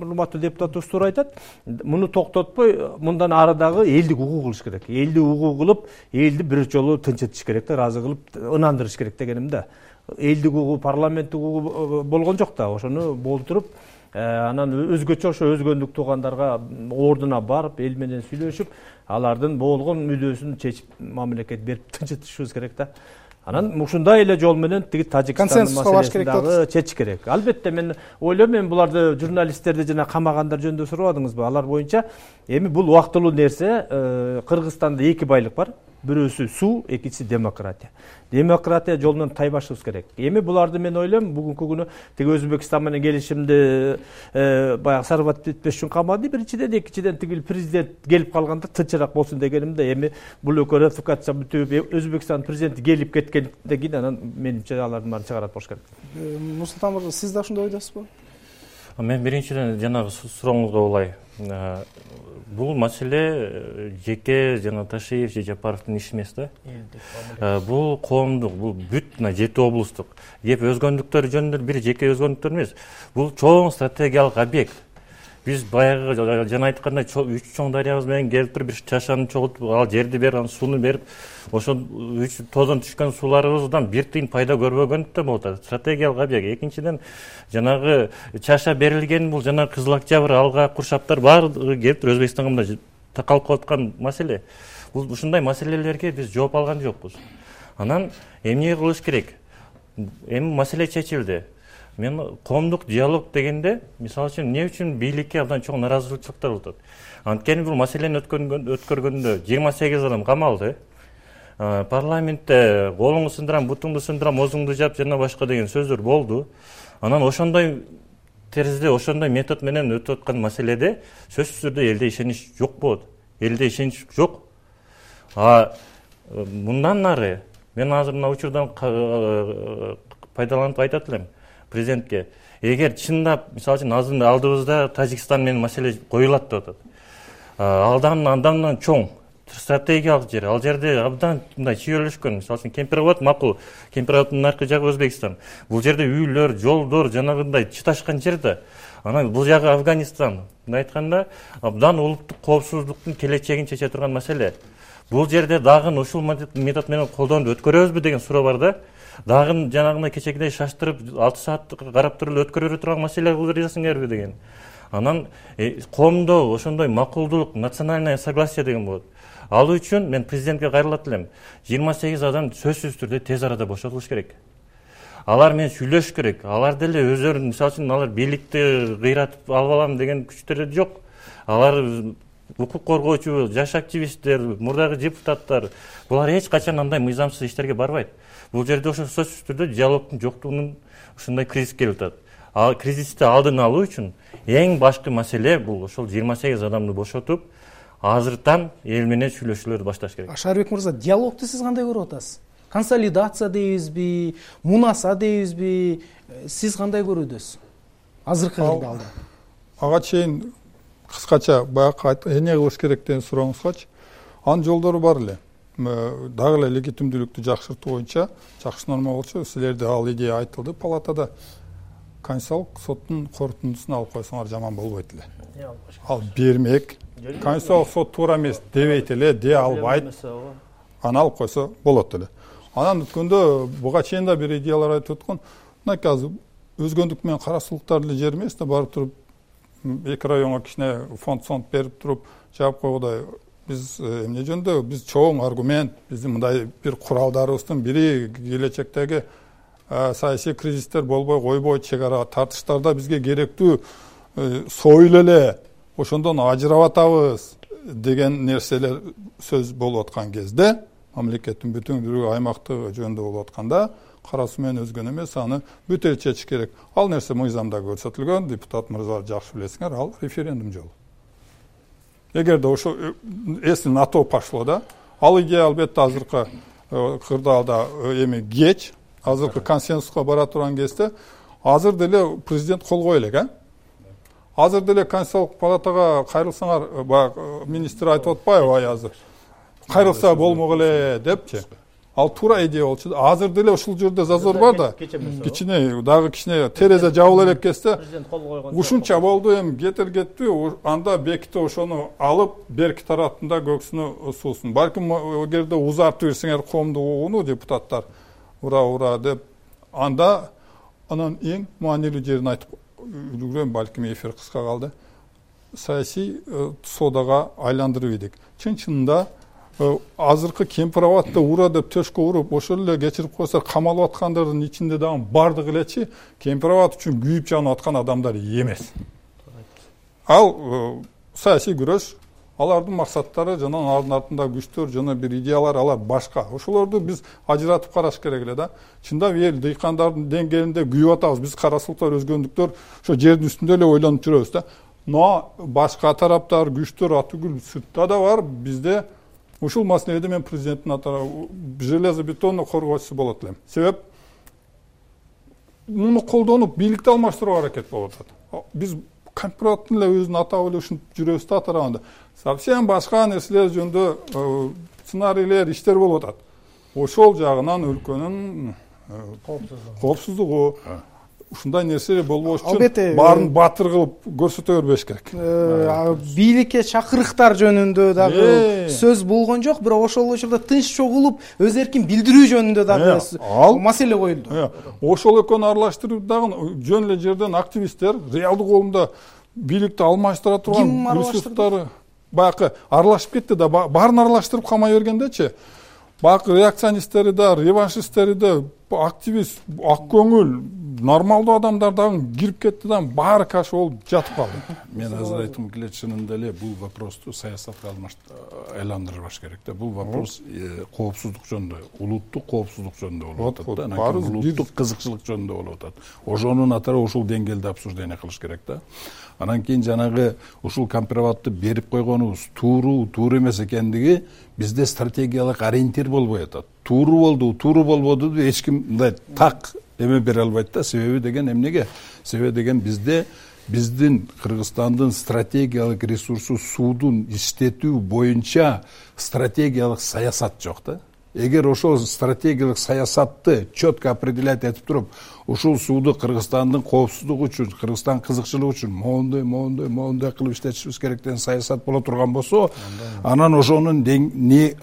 урматтуу депутатыбыз туура айтат. Муну токтотпой мындан ары дагы элдик укук кылыш керек. Элди укук кылып, элди бир жолу тынчытыш керек да, ыраазы кылып ынандырыш керек дегеним да. Элдик укугу, парламенттик укугу болгон жок да. Ошону болтуруп анан өзгөчө ошо өзгөндүк туугандарга ордуна барып, эл менен сүйлөшүп, алардын болгон мүдөөсүн чечип, мамлекет берип тынчытышыбыз керек да. Анан ушундай эле жол менен тиги Тажикстандын маселесин дагы чечиш керек. Албетте мен ойлойм, мен буларды журналисттерди жана камагандар жөнүндө сурабадыңызбы? Алар боюнча эми бул убактылуу нерсе. Кыргызстанда 2 байлык бар. Бирөөсү суу, экинчиси демократия. Демократия жолунан тайбашыбыз керек. Эми буларды мен ойлойм, бүгүнкү күнү тиги Өзбекстан менен келишимди баягы сарбат этпеш үчүн камады. Биринчиден, экинчиден тиги президент келип калганда тынчыраак болсун дегенимде. Эми бул экөө ратификация бүтүп, Өзбекстан президенти келип кеткенден кийин анан менимче алардын баарын чыгарат болуш керек. Нурсултан мырза, сиз да ошондой ойдосузбу? Мен биринчиден жанагы сурооңузга улай. Бул маселе жеке жана Ташиев же Жапаровдун иши эмес да. Бул коомдук, бул бүт 7 облустук. Кеп өзгөндүктөр жөнүндө бир жеке өзгөндүктөр эмес. Бул чоң стратегиялык объект. Биз баягы жана айткандай 3 чоң дарыябыз менен келип туруп бир чашаны чогултуп, ал жерди берип, анан сууну берип, ошо 3 тоодон түшкөн сууларыбыздан бир тыйын пайда көрбөгөндүктөн болот. Стратегиялык объект. Экинчиден, жанагы чаша берилген бул жана Кызыл Октябрь, Алга, Куршаптар баары келип туруп Өзбекстанга мына такалып калаткан маселе. Бул ушундай маселелерге биз жооп алган жокпуз. Анан эмне кылыш керек? Эми маселе чечилди. Мен коомдук диалог дегенде, мисалы үчүн, эмне үчүн бийликке абдан чоң наразычылыктар болот? Анткени бул маселени өткөргөндө 28 адам камалды. Парламентте колуңду сындырам, бутуңду сындырам, оозуңду жап жана башка деген сөздөр болду. Анан ошондой теризде, ошондой метод менен өтүп аткан маселеде сөзсүз түрдө элде ишенич жок болот. Элде ишенич жок. Мындан нары мен азыр мына учурдан пайдаланып айтат элем президентке. Эгер чындап, мисалы үчүн, алдыбызда Тажикстан менен маселе коюлат деп атат. Андан чоң стратегиялык жер. Ал жерде абдан мындай чүйөлүшкөн. Мисалы үчүн Кемпирабад макул. Кемпирабаддын наркы жагы Өзбекстан. Бул жерде үйлөр, жолдор жанагындай чыташкан жер да. Анан бул жагы Афганистан. Мындай айтканда, абдан улуттук коопсуздуктун келечегин чече турган маселе. Бул жерде дагы ушул метод менен колдонуп өткөрөбүзбү деген суроо бар да. Дагы жанагындай кечегидей шаштырып 6 саат карап туруп өткөрө турган маселе кылып жасаңарбы деген. Анан коомдо ошондой макулдулук, национальное согласие деген болот. Ал үчүн мен президентке кайрылат элем. 28 адам сөзсүз түрдө тез арада бошотулуш керек. Алар менен сүйлөшүш керек. Алар деле өздөрүн, мисалы үчүн, алар бийликти кыйратып алып алам деген күчтөр жок. Алар укук коргоочу, жаш активисттер, мурдагы депутаттар, булар эч качан андай мыйзамсыз иштерге барбайт. Бул жерде ошо сөзсүз түрдө диалогдун жоктугунун ушундай кризис келип атат. Ал кризисти алдын алуу үчүн эң башкы маселе бул ошол 28 адамды бошотуп, азыртан эл менен сүйлөшүүлөрдү башташ керек. Шарбек мырза, диалогду сиз кандай көрүп атасыз? Консолидация дейбизби, мунаса дейбизби? Сиз кандай көрүүдөсүз? Азыркы кырдаалда. Ага чейин кыскача баягы эмне кылыш керек деген сурооңузгачы, анын жолдору бар эле. Дагы эле легитимдүүлүктү жакшыртуу боюнча, жакшы норма болчу, силерде ал идея айтылды палатада. Конституциялык соттун корутундусун алып койсоңор жаман болбойт эле. Ал бермек. Конституциялык сот туура эмес дебейт эле, дей албайт. Аны алып койсо болот эле. Анан өткөндө буга чейин да бир идеялар айтып өткөн. Мынакей азыр өзгөндүк менен карасулуктар эле жер эмес да, барып туруп эки районго кичине фонд берип туруп жаап койгудай. Биз эмне жөнүндө биз чоң аргумент, биздин мындай бир куралдарыбыздын бири келечектеги саясий кризистер болбой койбойт, чек ара тартыштарда бизге керектүү союл эле ошондон ажырап атабыз деген нерселер сөз болуп аткан кезде, мамлекеттин бүтүндүүлүгү аймактыгы жөнүндө болуп атканда, карасуу менен өзгөн эмес, аны бүт эл чечиш керек. Ал нерсе мыйзамда көрсөтүлгөн, депутат мырзалар жакшы билесиңер, ал референдум жолу. Эгерде ошо если НАТО пошло да, ал идея албетте азыркы кырдаалда эми кеч, азыркы консенсуска бара турган кезде азыр деле президент кол кое элек, азыр деле Конституциялык палатага кайрылсаңар, баягы министр айтып атпайбы азыр? Кайрылса болмок эле депчи. Ал туура идея болчу. Азыр деле ушул жерде зазор бар да. Кичине дагы кичине терезе жабыла элек кезде ушунча болду, эми кетти, анда беките ошону алып берки тараптында көксүнө суусун. Балким эгерде узартып берсеңер коомдук угууну депутаттар ура деп, анда анан эң маанилүү жерин айтып үлгүрөм, балким эфир кыска калды. Саясий содага айландырып идик. Чын-чынында азыркы кемпир абадда ура деп төшкө уруп, ошол эле кечирип койсо камалып аткандардын ичинде дагы бардыгы элечи кемпир абад үчүн күйүп жанып аткан адамдар эмес. Ал саясий күрөш, алардын максаттары жана алардын артында күчтөр жана бир идеялар, алар башка. Ошолорду биз ажыратып караш керек эле да. Чындап эл дыйкандардын деңгээлинде күйүп атабыз. Биз карасылыктар, өзгөндүктөр ошо жердин үстүндө эле ойлонуп жүрөбүз да. Но башка тараптар, күчтөр атүгүл сыртта да бар. Бизде ушул маселеде мен президенттин железобетонно коргоочусу болот элем. Себеп муну колдонуп бийликти алмаштырууга аракет болуп атат. Биз компьютердин эле өзүн атап эле ушинтип жүрөбүз да тарабында. Совсем башка нерселер жөнүндө сценарийлер, иштер болуп атат. Ошол жагынан өлкөнүн коопсуздугу ушундай нерсе болбош үчүн баарын батыр кылып көрсөтө бербеш керек. Бийликке чакырыктар жөнүндө дагы сөз болгон жок, бирок ошол учурда тынч чогулуп өз эркин билдирүү жөнүндө дагы маселе коюлду. Ошол экөөнү аралаштырып дагы жөн эле жерден активисттер, реалдык оомдо бийликти алмаштыра турган ресурстары баягы аралашып кетти да, баарын аралаштырып камай бергендечи. Баягы реакционисттери да, реваншисттери да, активист, ак көңүл, нормалдуу адамдар дагы кирип кетти да, баары каша болуп жатып калды. Мен азыр айткым келет, чынында эле бул вопросту саясатка айландырбаш керек да. Бул вопрос коопсуздук жөнүндө, улуттук коопсуздук жөнүндө болуп атат да, анан улуттук кызыкчылык жөнүндө болуп атат. Ошонун атары ушул деңгээлде обсуждение кылыш керек да. Анан кийин жанагы ушул компроматты берип койгонубуз туура эмес экендиги бизде стратегиялык ориентир болбой атат. Тууру болбоду деп эч ким мындай так эме бере албайт да. Себеби деген эмнеге? Себеби деген биздин Кыргызстандын стратегиялык ресурсу суудун иштетүү боюнча стратегиялык саясат жок да. Эгер ошол стратегиялык саясатты четко определять этип туруп, ушул сууду Кыргызстандын коопсуздугу үчүн, Кыргызстан кызыкчылыгы үчүн моундай кылып иштетишибиз керек деген саясат боло турган болсо, анан ошонун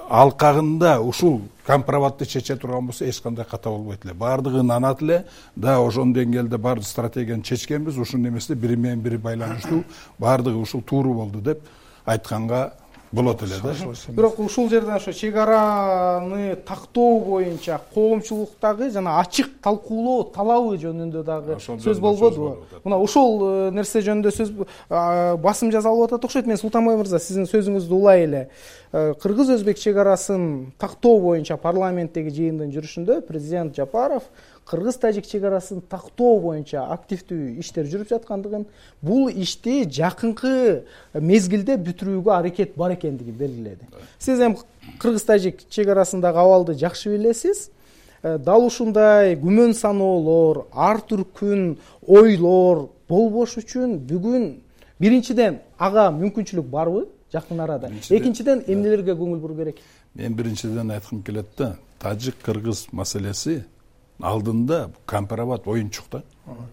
алкагында ушул компроматты чече турган болсо эч кандай ката болбойт эле. Бардыгы нанат эле, да ошол деңгээлде бар стратегияны чечкенбиз, ушун эмеси бири менен бири байланыштуу, бардыгы ушул тууру болду деп айтканга болот эле да. Бирок ушул жерден ошо чек араны тактоо боюнча коомчулуктагы жана ачык талкуулоо талабы жөнүндө дагы сөз болбодубу? Мына ошол нерсе жөнүндө сөз басым жасалып атат окшойт. Мен Султанбай мырза, сиздин сөзүңүздү улай эле кыргыз-өзбек чек арасын тактоо боюнча парламенттеги жыйындын жүрүшүндө президент Жапаров кыргыз-тажик чек арасын тактоо боюнча активдүү иштер жүрүп жаткандыгын, бул ишти жакынкы мезгилде бүтүрүүгө аракет бар экендигин белгиледи. Сиз эми кыргыз-тажик чек арасындагы абалды жакшы билесиз. Дал ушундай күмөн саноолор, ар түркүн ойлор болбош үчүн бүгүн биринчиден ага мүмкүнчүлүк барбы жакын арада? Экинчиден эмнелерге көңүл буруу керек? Мен биринчиден айткым келет да, тажик-кыргыз маселеси алдында компромат оюнчук да.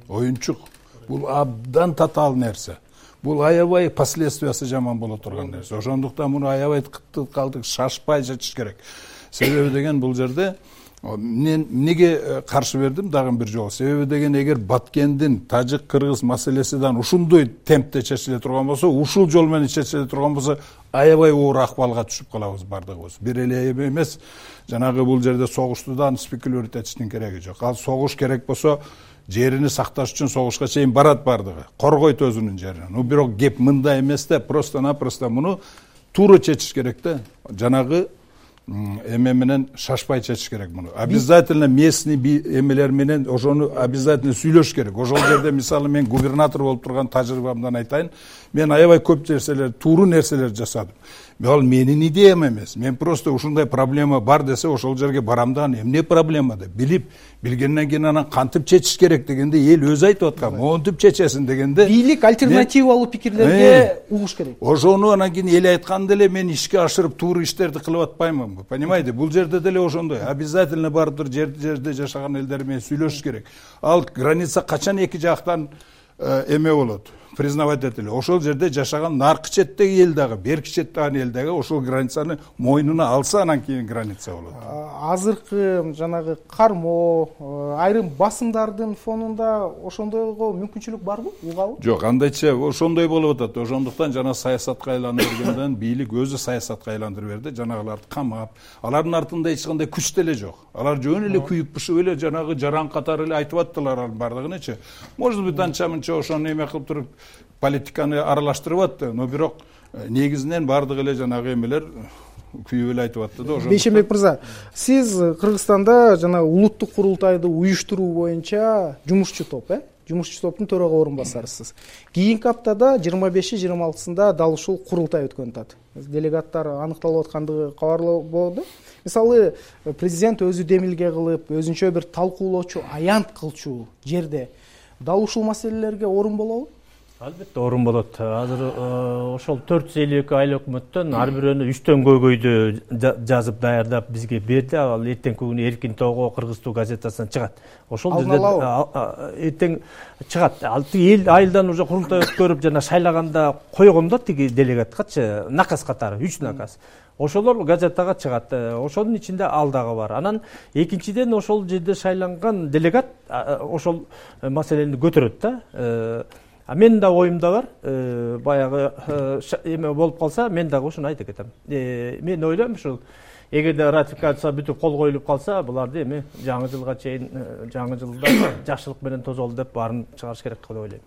Оюнчук. Бул абдан татаал нерсе. Бул аябай последствиясы жаман боло турган нерсе. Ошондуктан муну аябай калтык шашпай чечиш керек. Себеби деген бул жерде мен эмнеге каршы бердим дагы бир жолу? Себеби деген эгер Баткендин тажик-кыргыз маселесидан ушундай темпте чечиле турган болсо, ушул жол менен чечиле турган болсо, аябай оор акыбалга түшүп калабыз бардыгыбыз. Бир эле эмес, жанагы бул жерде согуштудан спекулировать этиштин кереги жок. Ал согуш керек болсо, жерини сакташ үчүн согушка чейин барат бардыгы. Коргойт өзүнүн жерин. Бирок кеп мындай эмес да, просто-напросто муну туура чечиш керек да. Жанагы эме менен шашпай чечиш керек муну. Обязательно местный эмелер менен ошону обязательно сүйлөш керек. Ошол жерде мисалы мен губернатор болуп турган тажрыйбамдан айтайын, мен аябай көп нерселер, тууру нерселер жасадым. Ал менин идеям эмес. Мен просто ушундай проблема бар десе ошол жерге барам да, эмне проблема деп билип, билгенден кийин анан кантип чечиш керек дегенде эл өзү айтып аткан, монтип чечесин дегенде бийлик альтернативалуу пикирлерге угуш керек. Ошону анан кийин эл айткан деле мен ишке ашырып туура иштерди кылып атпаймынбы? Понимаете? Бул жерде деле ошондой. Обязательно бардыр жерде жашаган элдер менен сүйлөшүш керек. Ал граница качан эки жактан эме болот? Признавать этели. Ошол жерде жашаган наркы четтеги эл дагы, берки четтеги эл дагы ошол границаны мойнуна алса, анан кийин граница болот. Азыркы жанагы кармоо, айрым басымдардын фонунда ошондойго мүмкүнчүлүк барбы? Угабы? Жок, андайча ошондой болуп атат. Ошондуктан жана саясатка айланып бергенден бийлик өзү саясатка айландырып берди, жанагыларды камап, алардын артында эч кандай күч деле жок. Алар жөн эле күйүп-пышып эле жанагы жаран катары эле айтып аттылар алардын бардыгынычы. Может быть, анча-мынча ошону эме кылып туруп политиканы аралаштырып атты, но бирок негизинен бардыгы эле жанагы эмелер күйүп эле айтып атты да. Бейшенбек мырза, сиз Кыргызстанда жана улуттук курултайды уюштуруу боюнча жумушчу топ, жумушчу топтун төрага орун басарысыз. Кийинки аптада 25-26-сында дал ушул курултай өткөн атат. Делегаттар аныкталып аткандыгы кабарлоо болду. Мисалы, президент өзү демилге кылып, өзүнчө бир талкуулоочу, аянт кылчу жерде дал ушул маселелерге орун болобу? Албетте орун болот. Азыр ошол 452 айыл өкмөттөн ар бирөөнү 3төн көйгөйдү жазып даярдап бизге берди. Ал эртең күнү Эркин Тоого Кыргыз-Туу газетасынан чыгат. Ошол эртең чыгат. Ал эл айылдан уже курултай өткөрүп жана шайлаганда койгон да тиги делегаткачы наказ катары 3 наказ. Ошолор газетага чыгат. Ошонун ичинде ал дагы бар. Анан экинчиден ошол жерде шайланган делегат ошол маселени көтөрөт да. Мен да оюмда бар, баягы эме болуп калса, мен дагы ушуну айтып кетем. Мен ойлойм ушул эгерде ратификация бүтүп кол коюлуп калса, буларды эми жаңы жылга чейин, жаңы жылда жакшылык менен тозолду деп баарын чыгарыш керек деп ойлойм.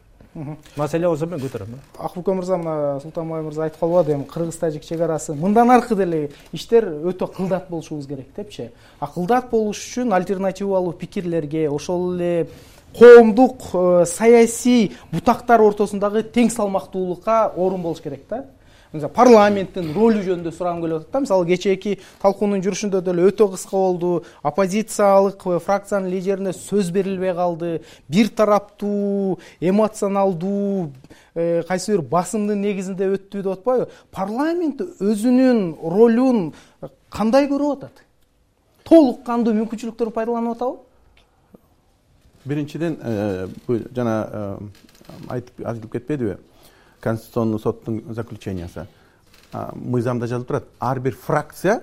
Маселе болсо мен көтөрөм. Акбүкө мырза, мына Султанбай мырза айтып калбады, эми кыргыз-тажик чек арасы мындан аркы деле иштер өтө кылдат болушубуз керек депчи. Кылдат болуш үчүн альтернативалуу пикирлерге, ошол эле коомдук саясий бутактар ортосундагы тең салмактуулукка орун болуш керек да. Мисалы, парламенттин ролу жөнүндө сурагым келип атат да. Мисалы, кечээки талкуунун жүрүшүндө деле өтө кыска болду. Оппозициялык фракциянын лидерине сөз берилбей калды. Бир тараптуу, эмоционалдуу, кайсы бир басымдын негизинде өттү деп атпайбы? Парламент өзүнүн ролун кандай көрүп атат? Толук кандуу мүмкүнчүлүктөрүн пайдаланып атабы? Биринчиден, жана айтып кетпедиби? Конституционный соттун заключениясы. Мыйзамда жазылып турат. Ар бир фракция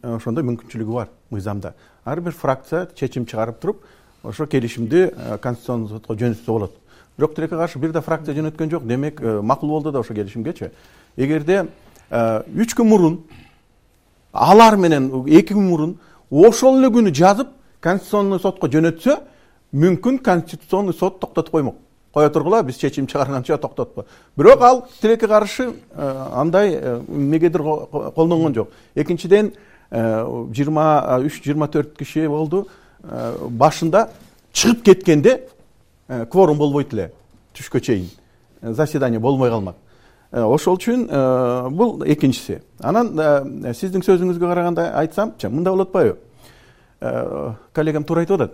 ошондой мүмкүнчүлүгү бар мыйзамда. Ар бир фракция чечим чыгарып туруп, ошо келишимди Конституционный сотко жөнөтсө болот. Бирок тилекке каршы бир да фракция жөнөткөн жок. Демек, макул болду да ошо келишимгечи. Эгерде 3 күн мурун, алар менен 2 күн мурун ошол эле күнү жазып Конституционный сотко жөнөтсө, мүмкүн Конституционный сот токтотуп коймок. Кое тургула, биз чечим чыгарганча токтотпо. Бирок ал тилекке каршы андай эмнегедир колдонгон жок. Экинчиден, 23-24 киши болду. Башында чыгып кеткенде кворум болбойт эле түшкө чейин. Заседание болмой калмак. Ошол үчүн бул экинчиси. Анан сиздин сөзүңүзгө караганда айтсам, мындай болот атпайбы? Коллегам туура айтып атат.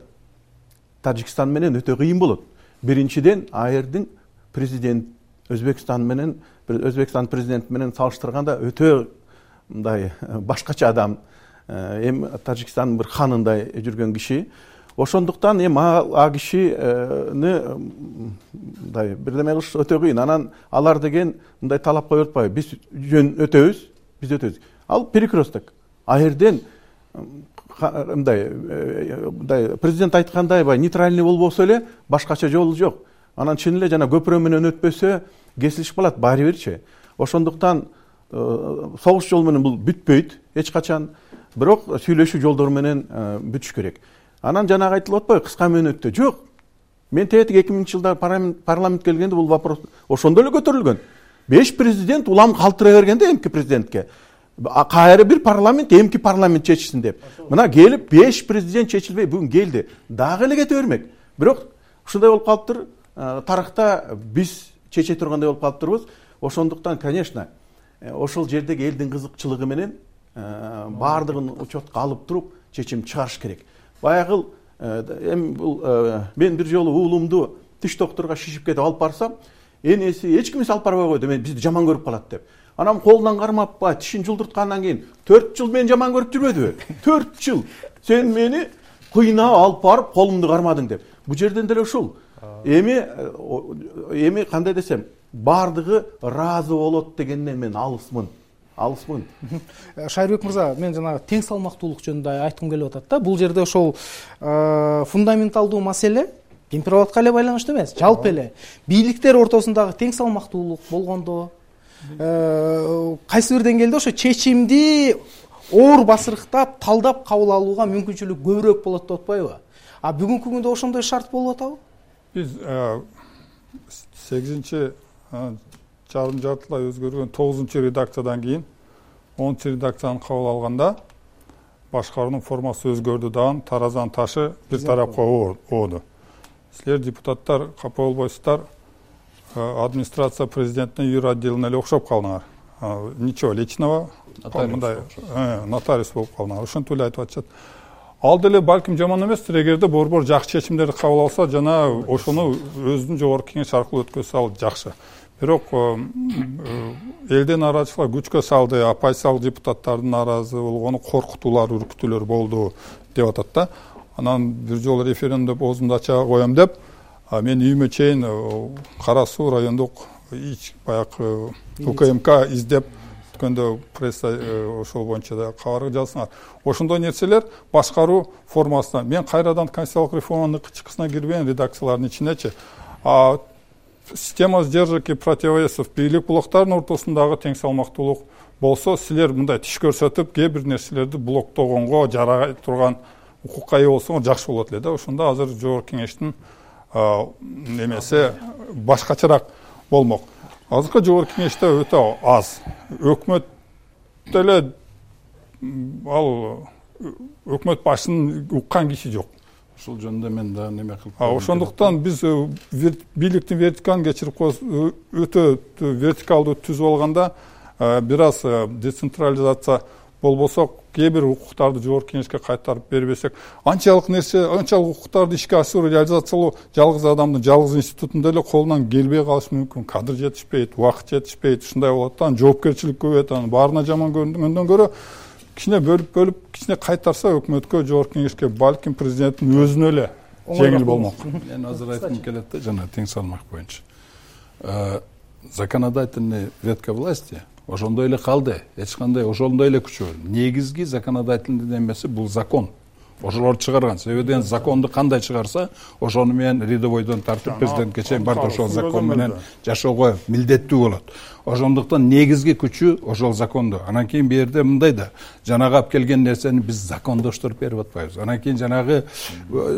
Тажикстан менен өтө кыйын болот. Биринчиден, айырдын президент Өзбекстан президенти менен салыштырганда өтө мындай башкача адам. Тажикстандын бир ханындай жүргөн киши. Ошондуктан а кишини мындай бирдеме кылыш өтө кыйын. Анан алар деген мындай талап коюп атпайбы? Биз жөн өтөбүз, биз өтөбүз. Ал перекресток. Айырден мындай президент айткандай нейтральный болбосо эле башкача жолу жок. Анан чын эле жана көпүрө менен өтпөсө кесилишип калат баары бирчи. Ошондуктан согуш жолу менен бул бүтпөйт эч качан. Бирок сүйлөшүү жолдору менен бүтүш керек. Анан жанагы айтылып атпайбы, кыска мөөнөттө жок. Мен тетик 2000-жылда парламент келгенде бул вопрос ошондо эле көтөрүлгөн. 5 президент улам калтыра бергенде эмки президентке. кайры бир парламент эмки парламент чечсин деп. Мына келип 5 президент чечилбей бүгүн келди. Дагы эле кете бермек. Бирок ушундай болуп калыптыр. Тарыхта биз чече тургандай болуп калыптырбыз. Ошондуктан, конечно, ошол жердеги элдин кызыкчылыгы менен баардыгын учетко алып туруп чечим чыгарыш керек. Баягы бул мен бир жолу уулумду тиш докторуна шишип кетип алып барсам, энеси эч кимиси алып барбай койду, мен бизди жаман көрүп калат деп. Анам колунан кармап ба, тишин жулдурткандан кийин 4 жыл мен жаман көрүп жүрбөдүбү? 4 жыл. Сен мени кыйнап алып барып колумду кармадың деп. Бу жерден деле ушул. Эми кандай десем, баардыгы ыраазы болот дегенден мен алысмын. Шайырбек мырза, мен жанагы тең салмактуулук жөнүндө айткым келип атат да. Бул жерде ошол фундаменталдуу маселе температурага эле байланыштуу эмес, жалпы эле бийликтер ортосундагы тең салмактуулук болгондо, кайсы бир деңгээлде ошо чечимди оор басырыктап, талдап кабыл алууга мүмкүнчүлүк көбүрөөк болот деп атпайбы? Бүгүнкү күндө ошондой шарт болуп атабы? Биз 8 жарым жартылай өзгөргөн 9 редакциядан кийин 10 редакцияны кабыл алганда башкаруунун формасы өзгөрдү дагы, таразанын ташы бир тарапка ооду. Силер депутаттар капа болбойсуздар, администрация президентине юр отделине эле окшоп калдыңар. Ничего личного, мындай нотариус болуп калдыңар. Ошентип эле айтып атышат. Ал деле балким жаман эместир, эгерде борбор жакшы чечимдерди кабыл алса, жана ошону өзүнүн жогорку кеңеш аркылуу өткөзсө ал жакшы. Бирок элден нараазычылар күчкө салды, оппозициялык депутаттардын нааразы болгону коркутуулар, үркүтүүлөр болду деп атат да. Анан бир жолу референдум оозумду ача коем деп, мен үйүмө чейин Кара Суу райондук баягы УКМК издеп өткөндө пресса ошол боюнча да кабар жазсаңар. Ошондой нерселер башкаруу формасына. Мен кайрадан конституциялык реформанын ычкысына кирбеген редакциялардын ичинечи. Система сдержек и противовесов бийлик блоктардын ортосундагы тең салмактуулук болсо, силер мындай тиш көрсөтүп, кээ бир нерселерди блоктогонго жарай турган укукка ээ болсоңор жакшы болот эле да. Ошондо азыр жогорку кеңештин немеси башкачараак болмок. Азыркы жогорку кеңеште өтө аз. Өкмөт деле ал өкмөт башын уккан киши жок. Ушул жөнүндө мен да неме кылып. Ошондуктан биз бийликтин вертикалын кечирип коебуз. Өтө вертикалдуу түзүп алганда бир аз децентрализация болбосо, кээ бир укуктарды жогорку кеңешке кайтарып бербесек, анчалык укуктарды ишке ашыруу, реализациялоо жалгыз адамдын, жалгыз институттун эле колунан келбей калышы мүмкүн. Кадр жетишпейт, убакыт жетишпейт, ушундай болот да. Жоопкерчилик көбөйөт, анан баарына жаман көрүнгөндөн көрө кичине бөлүп кичине кайтарса өкмөткө, жогорку кеңешке, балким президенттин өзүнө эле жеңил болмок. Мен азыр айткым келет да, жана тең салмак боюнча. Законодательный ветка власти ошондой эле калды. Эч кандай ошондой эле күчөө. Негизги законодательный немеси бул закон. Ошолор чыгарган. Себебен законду кандай чыгарса, ошону менен рядовойдон тартып президентке чейин бар ошол закон менен жашоого милдеттүү болот. Ошондуктан негизги күчү ошол закондо. Анан кийин бу жерде мындай да, жанагы алып келген нерсени биз закондоштуруп берип атпайбыз. Анан кийин жанагы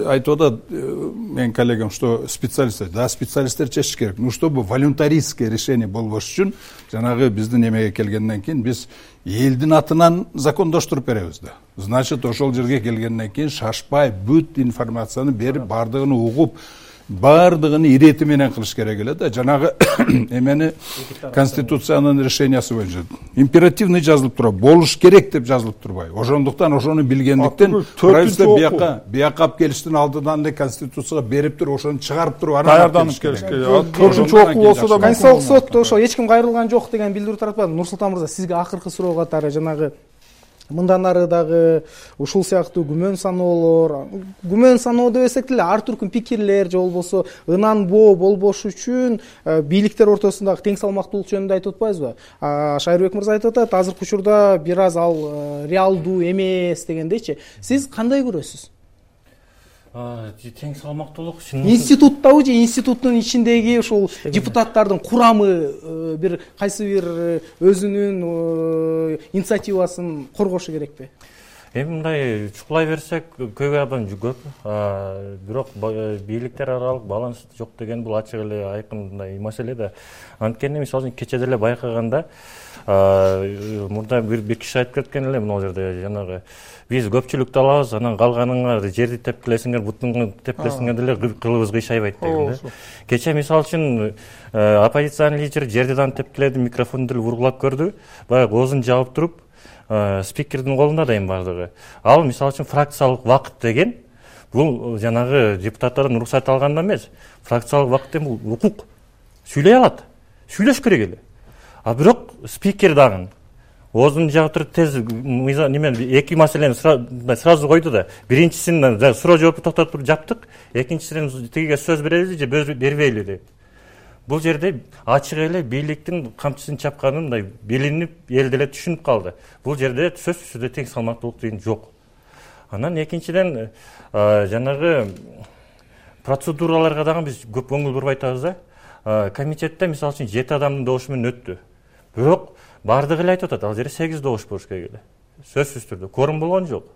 айтып атат менин коллегам, что специалисттер, да, специалисттер чечиш керек. Ну, чтобы волюнтаристское решение болбош үчүн, жанагы биздин эмеге келгенден кийин биз элдин атынан закондоштуруп беребиз да. Значит, ошол жерге келгенден кийин шашпай бүт информацияны берип, бардыгын угуп, бардыгын ирети менен кылыш керек эле да. Жанагы эмени конституциянын решениясы боюнча императивный жазылып турат, болуш керек деп жазылып турбайбы. Ошондуктан ошону билгендиктен правительство бияка алып келиштин алдынан эле конституцияга берип туруп, ошону чыгарып туруп даярданып келиш керек. Төртүнчү окуу болсо да Конституциялык сотто ошо эч ким кайрылган жок деген билдирүү таратпады. Нурсултан мырза, сизге акыркы суроо катары жанагы мындан ары дагы ушул сыяктуу күмөн саноо дебесек деле ар түркүн пикирлер же болбосо ынанбоо болбош үчүн бийликтер ортосундагы тең салмактуулук жөнүндө айтып атпайбызбы? Шайырбек мырза айтып атат, азыркы учурда бир аз ал реалдуу эмес дегендейчи. Сиз кандай көрөсүз? Тең салмактуулук институттабы же институттун ичиндеги ушул депутаттардын курамы бир кайсы бир өзүнүн инициативасын коргошу керекпи? Эми мындай чукулай берсек көйгөйдөн көп. Бирок бийликтер аралык баланс жок деген бул ачык эле айкын мындай маселе да. Анткени мисалы үчүн кече деле байкаганда Мурда бир киши айтып кеткен эле могул жерде жанагы биз көпчүлүктү алабыз, анан калганыңар жерди тепкилесиңер, бутуңду тепкилесиңер деле кылыбыз кыйшайбайт деген да. Кече мисалы үчүн оппозициянын лидери жерди дагы тепкиледи, микрофонду деле вургулап көрдү. Баягы оозун жаап туруп, спикердин колунда да эми бардыгы. Ал мисалы үчүн фракциялык убакыт деген бул жанагы депутаттардан уруксат алганда эмес, фракциялык убакыт деген бул укук. Сүйлөй алат, сүйлөш керек эле. А бирок спикер дагы оозун жаап туруп тез неме эки маселени сразу койду да. Биринчисин суроо жоопту токтотуп жаптык, экинчисинен тигиге сөз берели же бербейли деп. Бул жерде ачык эле бийликтин камчысын чапканын билинип, эл деле түшүнүп калды. Бул жерде сөзсүз түрдө тең салмактуулук деген жок. Анан экинчиден жанагы процедураларга дагы биз көп көңүл бурбай атабыз да. Комитетте мисалы үчүн 7 адамдын добушу менен өттү. Бирок бардыгы эле айтып атат, ал жерде 8 добуш болуш керек эле. Сөзсүз түрдө кворум болгон жок.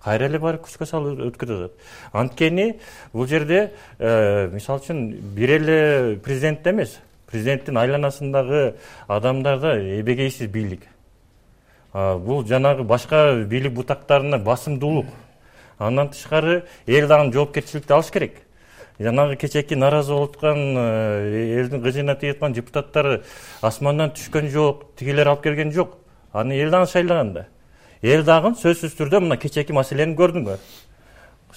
Кайра эле барып күчкө салып өткөрүп атат. Анткени бул жерде мисалы үчүн бир эле президент эмес, президенттин айланасындагы адамдар да эбегейсиз бийлик. Бул жанагы башка бийлик бутактарына басымдуулук. Андан тышкары эл дагы жоопкерчиликти алыш керек. Жанагы кечеки нааразы болуп аткан элдин кыжыгына тийип аткан депутаттар асмандан түшкөн жок, тигилер алып келген жок. Аны эл дагы шайлаган да. Эл дагы сөзсүз түрдө мына кечеки маселени көрдүңөр.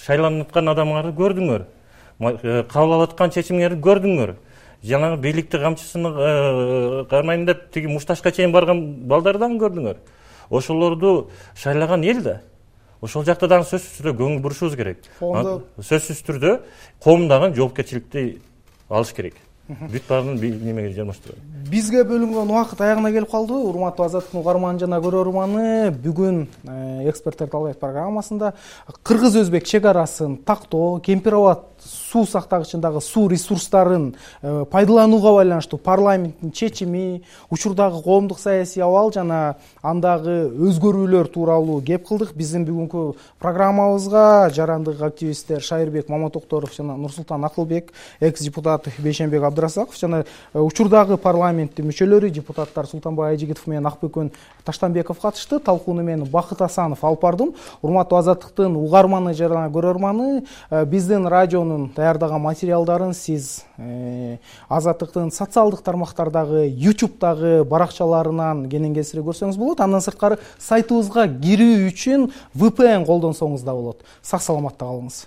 Шайланып аткан адамдарды көрдүңөр. Кабыл алып аткан чечимдерди көрдүңөр. Жанагы бийликти камчысын кармайм деп тиги мушташка чейин барган балдарды дагы көрдүңөр. Ошолорду шайлаган эл да. Ошол жакта дагы сөзсүз түрдө көңүл бурушубуз керек. Сөзсүз түрдө коом дагы жоопкерчиликти алыш керек. Бүт баарын немеге жармаштырат. Бизге бөлүнгөн убакыт аягына келип калды. Урматтуу Азаттыктын угарманы жана көрөрманы, бүгүн эксперттер талкуйт программасында кыргыз-өзбек чек арасын тактоо, Кемпир-Абад суу сактагычындагы суу ресурстарын пайдаланууга байланыштуу парламенттин чечими, учурдагы коомдук саясий абал жана андагы өзгөрүүлөр тууралуу кеп кылдык. Биздин бүгүнкү программабызга жарандык активисттер Шайырбек Маматокторов жана Нурсултан Акылбек, экс-депутат Бейшенбек Абдрасаков жана учурдагы парламенттин мүчөлөрү, депутаттар Султанбай Айжигитов менен Акбөкөн Таштанбеков катышты. Талкууну мен Бакыт Асанов алып бардым. Урматтуу Азаттыктын угарманы жана көрөрманы, биздин радионун даярдаган материалдарын сиз Азаттыктын социалдык тармактардагы, YouTube'дагы баракчаларынан кенен кесире көрсөңүз болот. Андан сырткары сайтыбызга кирүү үчүн VPN колдонсоңуз да болот. Сак саламатта калыңыз.